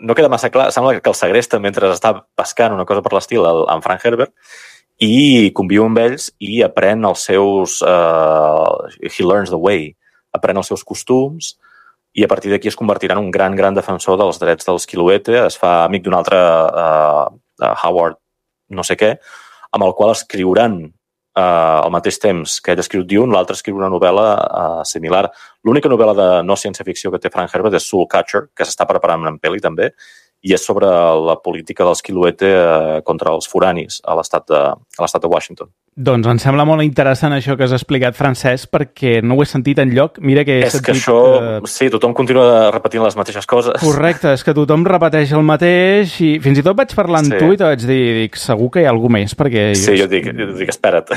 no queda massa clar, sembla que el segresta mentre està pescant una cosa per l'estil amb Frank Herbert i conviu amb ells i aprèn els seus... Uh, he learns the way. Aprèn els seus costums i a partir d'aquí es convertirà en un gran, gran defensor dels drets dels Quiluete. Es fa amic d'un altre uh, uh, Howard no sé què, amb el qual escriuran Uh, al mateix temps que ell escriu Dune, l'altre escriu una novel·la uh, similar. L'única novel·la de no ciència-ficció que té Frank Herbert és Soulcatcher, que s'està preparant en pel·li també, i és sobre la política dels Quiluete uh, contra els foranis a l'estat de, a l'estat de Washington. Doncs em sembla molt interessant això que has explicat, Francesc, perquè no ho he sentit enlloc. Mira que he és sentit... que això... Uh... Sí, tothom continua repetint les mateixes coses. Correcte, és que tothom repeteix el mateix i fins i tot vaig parlar amb sí. tu i te vaig dir, dic, segur que hi ha alguna més, perquè... Sí, jo dic, jo dic espera't.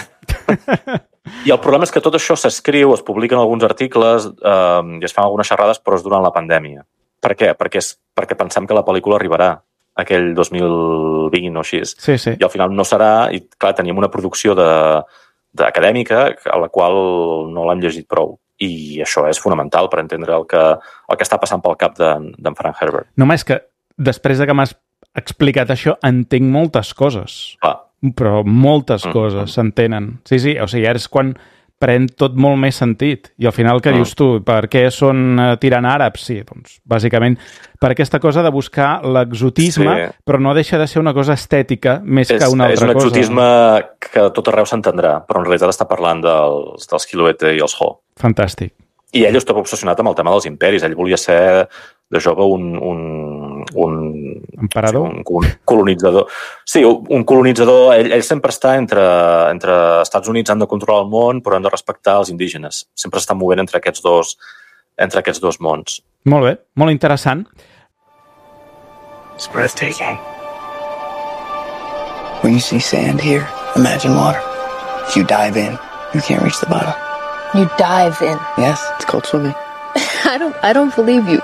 I el problema és que tot això s'escriu, es publiquen alguns articles eh, i es fan algunes xerrades, però és durant la pandèmia. Per què? Perquè, és, perquè pensem que la pel·lícula arribarà aquell dos mil vint o així. Sí, sí. I al final no serà, i clar, teníem una producció de, d'acadèmica a la qual no l'hem llegit prou. I això és fonamental per entendre el que, el que està passant pel cap d'en, d'en Frank Herbert. Només que després de que m'has explicat això, entenc moltes coses. Clar. Però moltes mm. coses s'entenen. Sí, sí, o sigui, ara és quan pren tot molt més sentit. I al final, què mm. dius tu? Per què són uh, tirant àrabs? Sí, doncs, bàsicament, per aquesta cosa de buscar l'exotisme, sí. però no deixa de ser una cosa estètica més és, que una altra cosa. És un exotisme cosa. Que tot arreu s'entendrà, però en realitat està parlant dels, dels Quiluete i els Ho. Fantàstic. I ell estava obsessionat amb el tema dels imperis. Ell volia ser, de jove, un... un, un emperador? Sí, un colonitzador. Sí, un colonitzador. Ell, ell sempre està entre, entre Estats Units, han de controlar el món, però han de respectar els indígenes. Sempre s'està movent entre aquests dos, entre aquests dos mons. Molt bé, molt interessant. It's breathtaking. When you see sand here, imagine water. If you dive in, you can't reach the bottom. You dive in. Yes, it's called swimming. I don't I don't believe you.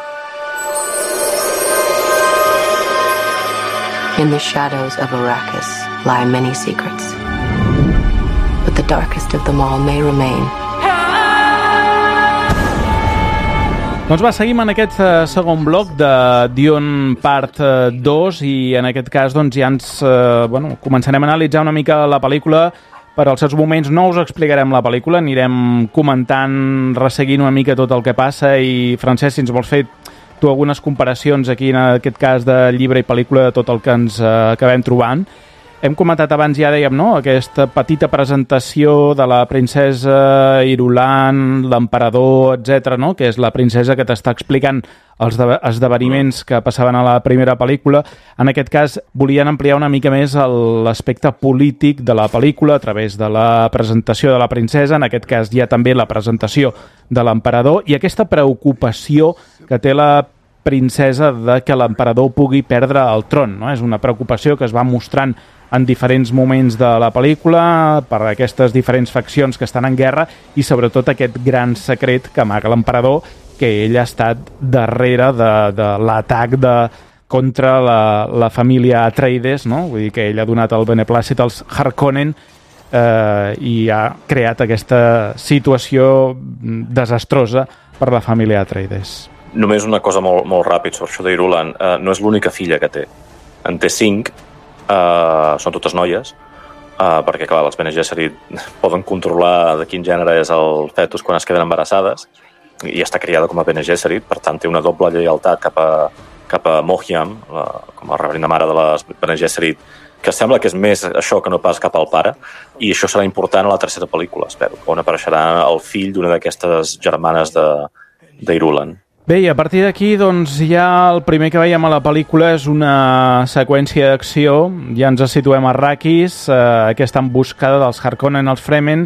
In the shadows of Arrakis lie many secrets. But the darkest of them all may remain. Doncs va, seguim en aquest uh, segon bloc de Dune Part uh, dos i en aquest cas doncs, ja ens uh, bueno, començarem a analitzar una mica la pel·lícula. Per als seus moments no us explicarem la pel·lícula, anirem comentant, resseguint una mica tot el que passa i, Francesc, si ens vols fer tu algunes comparacions aquí, en aquest cas de llibre i pel·lícula, de tot el que ens uh, acabem trobant. Hem comentat abans, ja dèiem, no?, aquesta petita presentació de la princesa Irulan, l'emperador, etcètera, no?, que és la princesa que t'està explicant els esdeveniments que passaven a la primera pel·lícula. En aquest cas, volien ampliar una mica més l'aspecte polític de la pel·lícula a través de la presentació de la princesa, en aquest cas hi ha també la presentació de l'emperador i aquesta preocupació que té la princesa de que l'emperador pugui perdre el tron, no? És una preocupació que es va mostrant en diferents moments de la pel·lícula per aquestes diferents faccions que estan en guerra i sobretot aquest gran secret que amaga l'emperador, que ell ha estat darrere de, de l'atac de, contra la, la família Atreides, no? Vull dir que ell ha donat el beneplàcit als Harkonnen eh, i ha creat aquesta situació desastrosa per la família Atreides. Només una cosa molt, molt ràpid sobre això d'Irulan. Uh, no és l'única filla que té. En té cinc, uh, són totes noies, uh, perquè, clar, les Bene Gesserit poden controlar de quin gènere és el fetus quan es queden embarassades, i està criada com a Bene Gesserit, per tant té una doble lleialtat cap a, cap a Mohiam, la, com a reverenda mare de les Bene Gesserit, que sembla que és més això que no pas cap al pare, i això serà important a la tercera pel·lícula, espero, on apareixerà el fill d'una d'aquestes germanes d'Irulan. Bé, i a partir d'aquí, doncs, ja el primer que veiem a la pel·lícula és una seqüència d'acció. Ja ens situem a Arrakis, eh, aquesta emboscada dels Harkonnen als Fremen,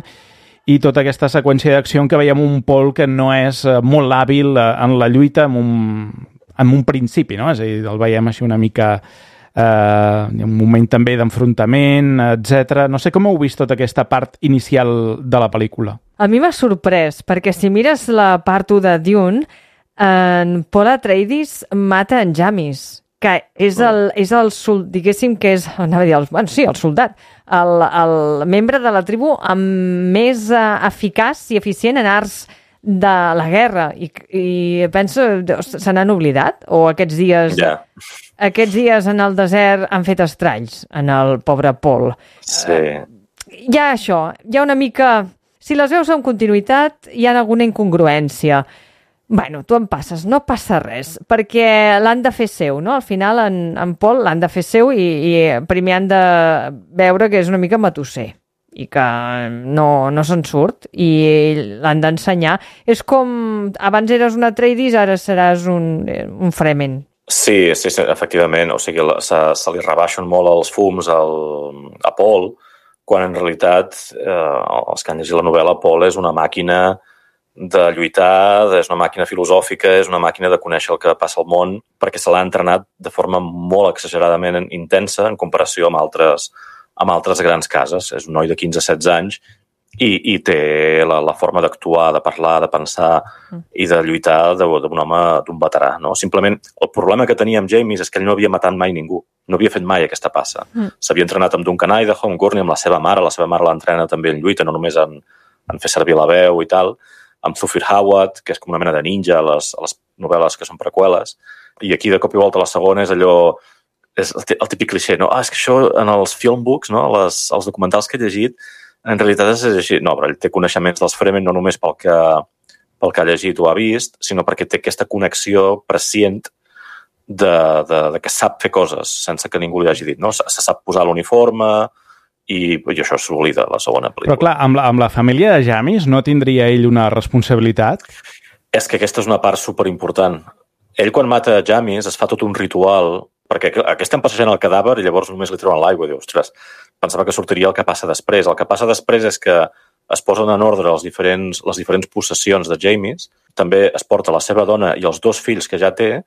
i tota aquesta seqüència d'acció en què veiem un Paul que no és eh, molt hàbil eh, en la lluita en un, en un principi, no? És a dir, el veiem així una mica eh, hi ha un moment també d'enfrontament, etcètera. No sé com heu vist tota aquesta part inicial de la pel·lícula. A mi m'ha sorprès, perquè si mires la part u de Dune, en Paul Atreides mata en Jamis, que és el, és el diguéssim que és, anava a dir, el, bueno, sí, el soldat, el, el membre de la tribu amb més uh, eficaç i eficient en arts de la guerra. I, i penso, se n'han oblidat? O aquests dies... Yeah. Aquests dies en el desert han fet estralls en el pobre Paul. Sí. Uh, hi ha això, hi ha una mica... Si les veus en continuïtat, hi ha alguna incongruència. Bueno, tu en passes, no passa res, perquè l'han de fer seu, no? Al final, en, en Paul l'han de fer seu i, i primer han de veure que és una mica matusser i que no, no se'n surt i l'han d'ensenyar. És com, abans eres un Atreides, ara seràs un, un Fremen. Sí, sí, sí, efectivament. O sigui, se, se li rebaixen molt els fums al, a Paul, quan en realitat, eh, els que han llegit la novel·la, Paul és una màquina de lluitar, és una màquina filosòfica, és una màquina de conèixer el que passa al món, perquè se l'ha entrenat de forma molt exageradament intensa en comparació amb altres, amb altres grans cases. És un noi de quinze setze anys i, i té la, la forma d'actuar, de parlar, de pensar i de lluitar d'un home, d'un veterà. No? Simplement, el problema que tenia amb James és que ell no havia matat mai ningú, no havia fet mai aquesta passa. Mm. S'havia entrenat amb Duncan Idaho, amb Gurney, amb la seva mare, la seva mare l'entrena també en lluita, no només en, en fer servir la veu i tal, amb Zufir Hawat, que és com una mena de ninja a les, a les novel·les que són preqüeles, i aquí de cop i volta la segona és allò, és el típic clixé, no? Ah, és que això en els filmbooks, no? Les, els documentals que he llegit, en realitat és així. No, però ell té coneixements dels Fremen no només pel que, pel que ha llegit o ha vist, sinó perquè té aquesta connexió prescient de, de, de que sap fer coses sense que ningú li hagi dit, no? Se, se sap posar l'uniforme, i, i això s'oblida la segona pel·lícula. Però clar, amb la, amb la família de Jamis no tindria ell una responsabilitat? És que aquesta és una part superimportant. Ell quan mata Jamis es fa tot un ritual, perquè aquí estem passejant el cadàver i llavors només li treuen l'aigua i diu, ostres, pensava que sortiria el que passa després. El que passa després és que es posen en ordre els diferents, les diferents possessions de Jamis, també es porta la seva dona i els dos fills que ja té,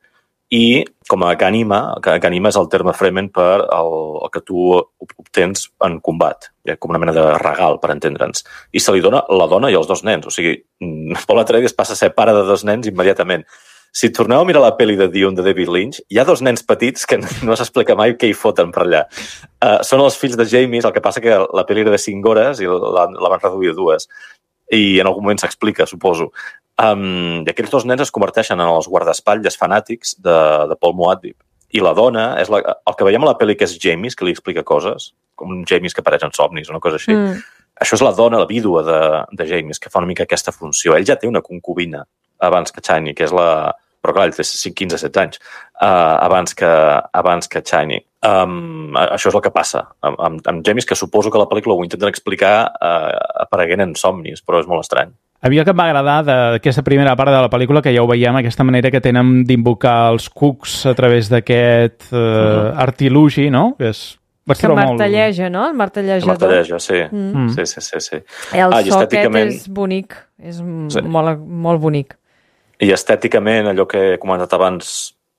i com a ganima, que ganima és el terme Fremen per el, el que tu obtens en combat, com una mena de regal, per entendre'ns. I se li dona la dona i els dos nens. O sigui, Paul Atreides passa a ser pare de dos nens immediatament. Si torneu a mirar la pel·li de Dune de David Lynch, hi ha dos nens petits que no s'explica mai què hi foten per allà. Uh, són els fills de James, el que passa que la pel·li era de cinc hores i la, la van reduir a dues. I en algun moment s'explica, suposo. Um, I aquells dos nens es converteixen en els guardaespatlles fanàtics de, de Paul Muad'Dib. I la dona, és la, el que veiem a la pel·li que és James, que li explica coses, com un James que apareix en somnis o una cosa així. Mm. Això és la dona, la vídua de, de James, que fa una mica aquesta funció. Ell ja té una concubina abans que Chani, que és la... Però clar, ell té quinze setze anys, uh, abans que, abans que Chani. Um, això és el que passa amb, amb, amb James, que suposo que la pel·lícula ho intenten explicar uh, apareguent en somnis, però és molt estrany. A mi el que em va agradar d'aquesta primera part de la pel·lícula, que ja ho veiem, aquesta manera que tenen d'invocar els cucs a través d'aquest uh, uh-huh. artilugi, no? Que és... Que martelleja, molt... no? El martellejador. El martelleja, sí. Mm. Sí, sí, sí, sí. El ah, so estèticament... aquest és bonic, és sí. molt, molt bonic. I estèticament, allò que he comentat abans,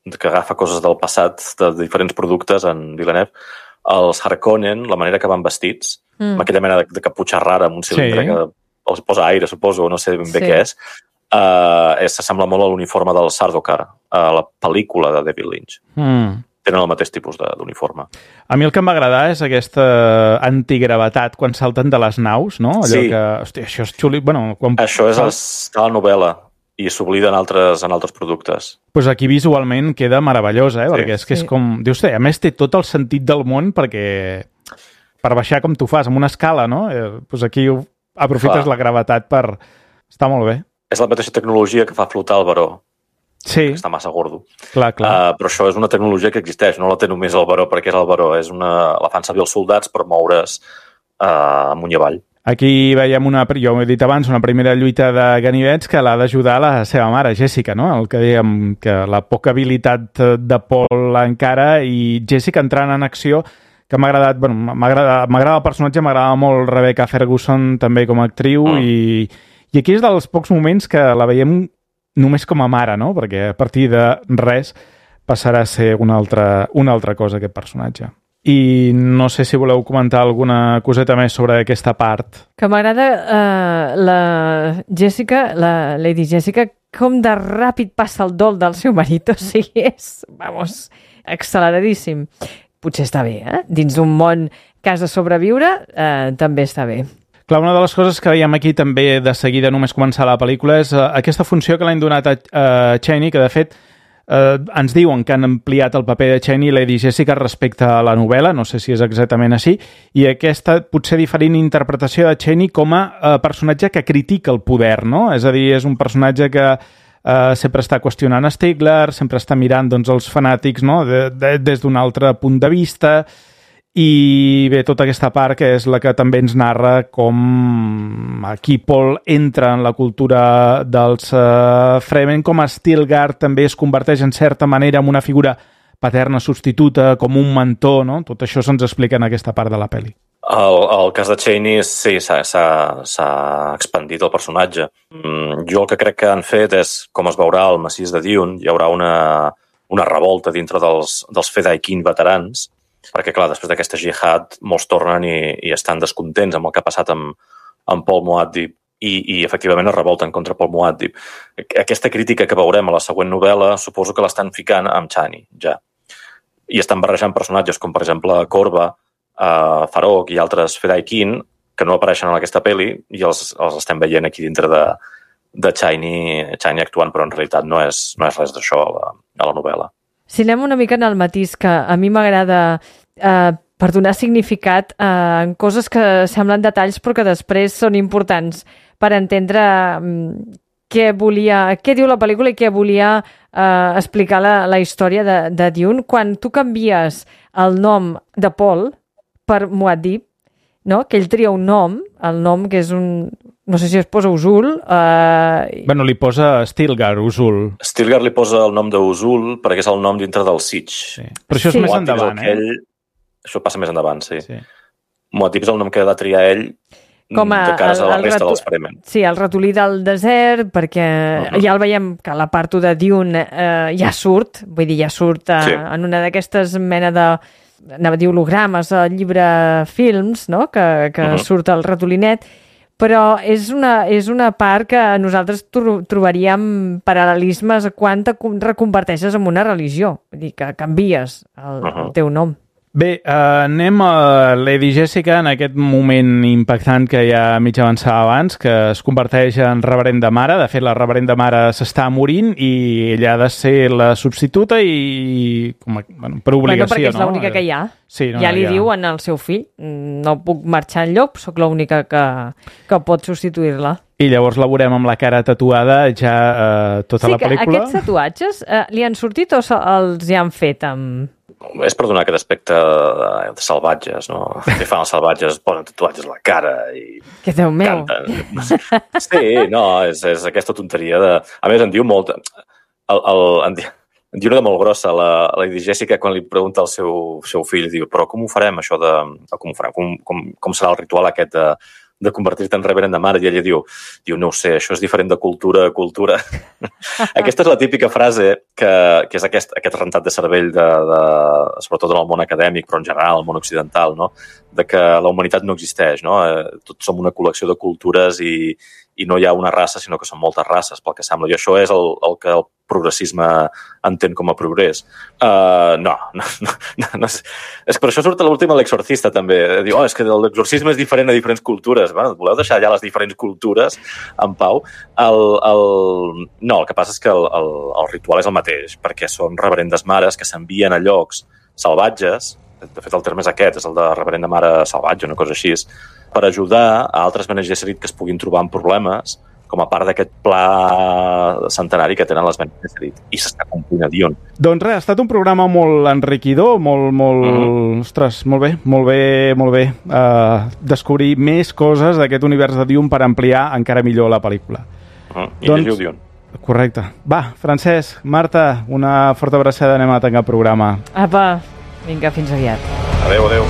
que agafa coses del passat, de diferents productes en Villeneuve, els Harkonnen, la manera que van vestits, mm. amb aquella mena de, de caputxa rara, amb un cilindre sí. que els posa aire, suposo, no sé ben bé sí. què és, uh, és, s'assembla molt a l'uniforme del Sardaukar, a la pel·lícula de David Lynch. Mm. Tenen el mateix tipus d'uniforme. A mi el que em va agradar és aquesta antigravetat quan salten de les naus, no? Allò sí. que, hòstia, això és xuli... Bueno, quan... Això és a la novel·la i s'oblida en altres, en altres productes. Pues aquí visualment queda meravellosa, eh? Sí. Perquè és que és com... Dius, a més té tot el sentit del món perquè per baixar com tu fas, amb una escala, no? Eh, pues aquí aprofites Clar. La gravetat per... Està molt bé. És la mateixa tecnologia que fa flotar el baró. Sí. Que està massa gordo. Clar, clar. Uh, però això és una tecnologia que existeix, no la té només el baró perquè és el baró, és una... la fan servir els soldats per moure's uh, amunt i avall. Aquí veiem una, jo ho he dit abans, una primera lluita de ganivets que l'ha d'ajudar la seva mare, Jessica, no? El que dèiem, que la poca habilitat de Paul encara i Jessica entrant en acció, que m'ha agradat, bueno, m'agrada el personatge, m'agrada molt Rebecca Ferguson també com a actriu mm. i, i aquí és dels pocs moments que la veiem només com a mare, no? Perquè a partir de res passarà a ser una altra, una altra cosa, aquest personatge. I no sé si voleu comentar alguna coseta més sobre aquesta part. Que m'agrada uh, la Jessica, la Lady Jessica, com de ràpid passa el dol del seu marit. O sigui, és, vamos, acceleradíssim. Potser està bé, eh? Dins d'un món que has de sobreviure, eh, també està bé. Clar, una de les coses que veiem aquí també de seguida només començar la pel·lícula és uh, aquesta funció que l'han donat a uh, Chaney, que de fet uh, ens diuen que han ampliat el paper de Chaney i Lady Jessica respecte a la novel·la, no sé si és exactament així, i aquesta potser diferent interpretació de Chaney com a uh, personatge que critica el poder, no? És a dir, és un personatge que uh, sempre està qüestionant Stigler, sempre està mirant doncs, els fanàtics, no? de, de, des d'un altre punt de vista. I bé, tota aquesta part que és la que també ens narra com aquí Paul entra en la cultura dels uh, Fremen, com Stilgar també es converteix en certa manera en una figura paterna substituta, com un mentor, no? Tot això se'ns explica en aquesta part de la pel·li. El, el cas de Chaney, sí, s'ha expandit el personatge. Mm, jo el que crec que han fet és, com es veurà al massís de Dune, hi haurà una, una revolta dintre dels, dels Fedaykin veterans, perquè, clar, després d'aquesta jihad molts tornen i, i estan descontents amb el que ha passat amb, amb Paul Muad'Dib i, i efectivament es revolten contra Paul Muad'Dib. Aquesta crítica que veurem a la següent novel·la suposo que l'estan ficant amb Chani, ja. I estan barrejant personatges com, per exemple, Korva, uh, Farok i altres Fedaykin que no apareixen en aquesta pel·li i els, els estem veient aquí dintre de, de Chani, Chani actuant, però en realitat no és, no és res d'això a la, a la novel·la. Si anem una mica en el matís, que a mi m'agrada eh, per donar significat eh, en coses que semblen detalls però que després són importants per entendre eh, què volia, què diu la pel·lícula i què volia eh, explicar la, la història de, de Dune. Quan tu canvies el nom de Paul per Muad'Dib, no? Que ell tria un nom, el nom que és un... No sé si es posa Usul. Eh... Bueno, li posa Stilgar, Usul. Stilgar li posa el nom d'Usul perquè és el nom dintre del Siege. Sí. Però això és sí. més endavant, eh? Ell... Això passa més endavant, sí. sí. Muad'Dib és el nom que ha de triar ell com a, de cara a la resta ratu... dels Fremen. Sí, el ratolí del desert, perquè uh-huh. ja el veiem que la part de Dune eh, ja surt, vull dir, ja surt eh, sí. en una d'aquestes mena de... anava a dir hologrames, el llibre films, no? que, que uh-huh. surt el ratolinet, però és una, és una part que nosaltres tro trobaríem paral·lelismes quan te reconverteixes en una religió, vull dir, que canvies el, uh-huh. el teu nom. Bé, eh, anem a Lady Jessica en aquest moment impactant que ja mig avançava abans, que es converteix en reverenda mare. De fet, la reverenda mare s'està morint i ella ha de ser la substituta i com a, bueno, per obligació. Bueno, perquè és no? l'única que hi ha. Sí, no, ja li ja. diuen al seu fill, no puc marxar enlloc, sóc l'única que, que pot substituir-la. I llavors la veurem amb la cara tatuada ja eh, tota sí, la pel·lícula. Sí, que aquests tatuatges eh, li han sortit o els hi han fet amb... És per donar aquest aspecte de salvatges, no? Que fan els salvatges, posen tatuatges a la cara i... Que Déu meu! Canten. Sí, no, és, és aquesta tonteria de... A més, en diu molt... El, el, en, diu, en diu una de molt grossa, la, la Lady Jessica, quan li pregunta al seu, seu fill, diu, però com ho farem, això de... Com ho farem? Com, com, com serà el ritual aquest de... de convertir-te en reverend de mare, i ella diu, diu, no ho sé, això és diferent de cultura a cultura. Aquesta és la típica frase que, que és aquest, aquest rentat de cervell, de, de, sobretot en el món acadèmic, però en general, el món occidental, no? De que la humanitat no existeix, no? Tots som una col·lecció de cultures i, i no hi ha una raça, sinó que són moltes races, pel que sembla. I això és el, el que el progressisme entén com a progrés. Uh, no, no, no, no és, és que per això surt a l'última l'exorcista també. Diu, oh, és que l'exorcisme és diferent a diferents cultures. Bueno, voleu deixar ja les diferents cultures en pau? El, el... No, el que passa és que el, el, el ritual és el mateix, perquè són reverendes mares que s'envien a llocs salvatges, de fet el terme és aquest, és el de reverenda mare salvatge, una cosa així, per ajudar a altres Bene Gesserit que es puguin trobar amb problemes com a part d'aquest pla centenari que tenen les Bene Gesserit, i s'està complint a Dune. Doncs res, ha estat un programa molt enriquidor, molt, molt... Mm-hmm. Ostres, molt bé, molt bé, molt bé. Uh, descobrir més coses d'aquest univers de Dune per ampliar encara millor la pel·lícula. Mm-hmm. I doncs, llegiu Dune. Correcte. Va, Francesc, Marta, una forta abraçada, anem a tancar el programa. Apa, vinga, fins aviat. Adéu, adéu.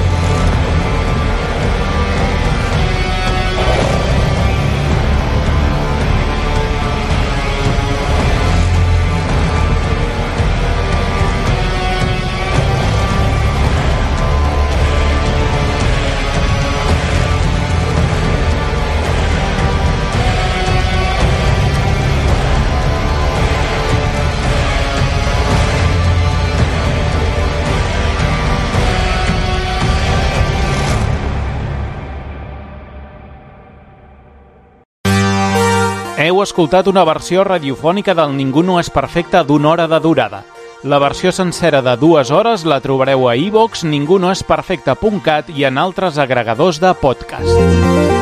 Heu escoltat una versió radiofònica del Ningú no és perfecte d'una hora de durada. La versió sencera de dues hores la trobareu a iVox, ningunoesperfecte punt cat i en altres agregadors de podcast.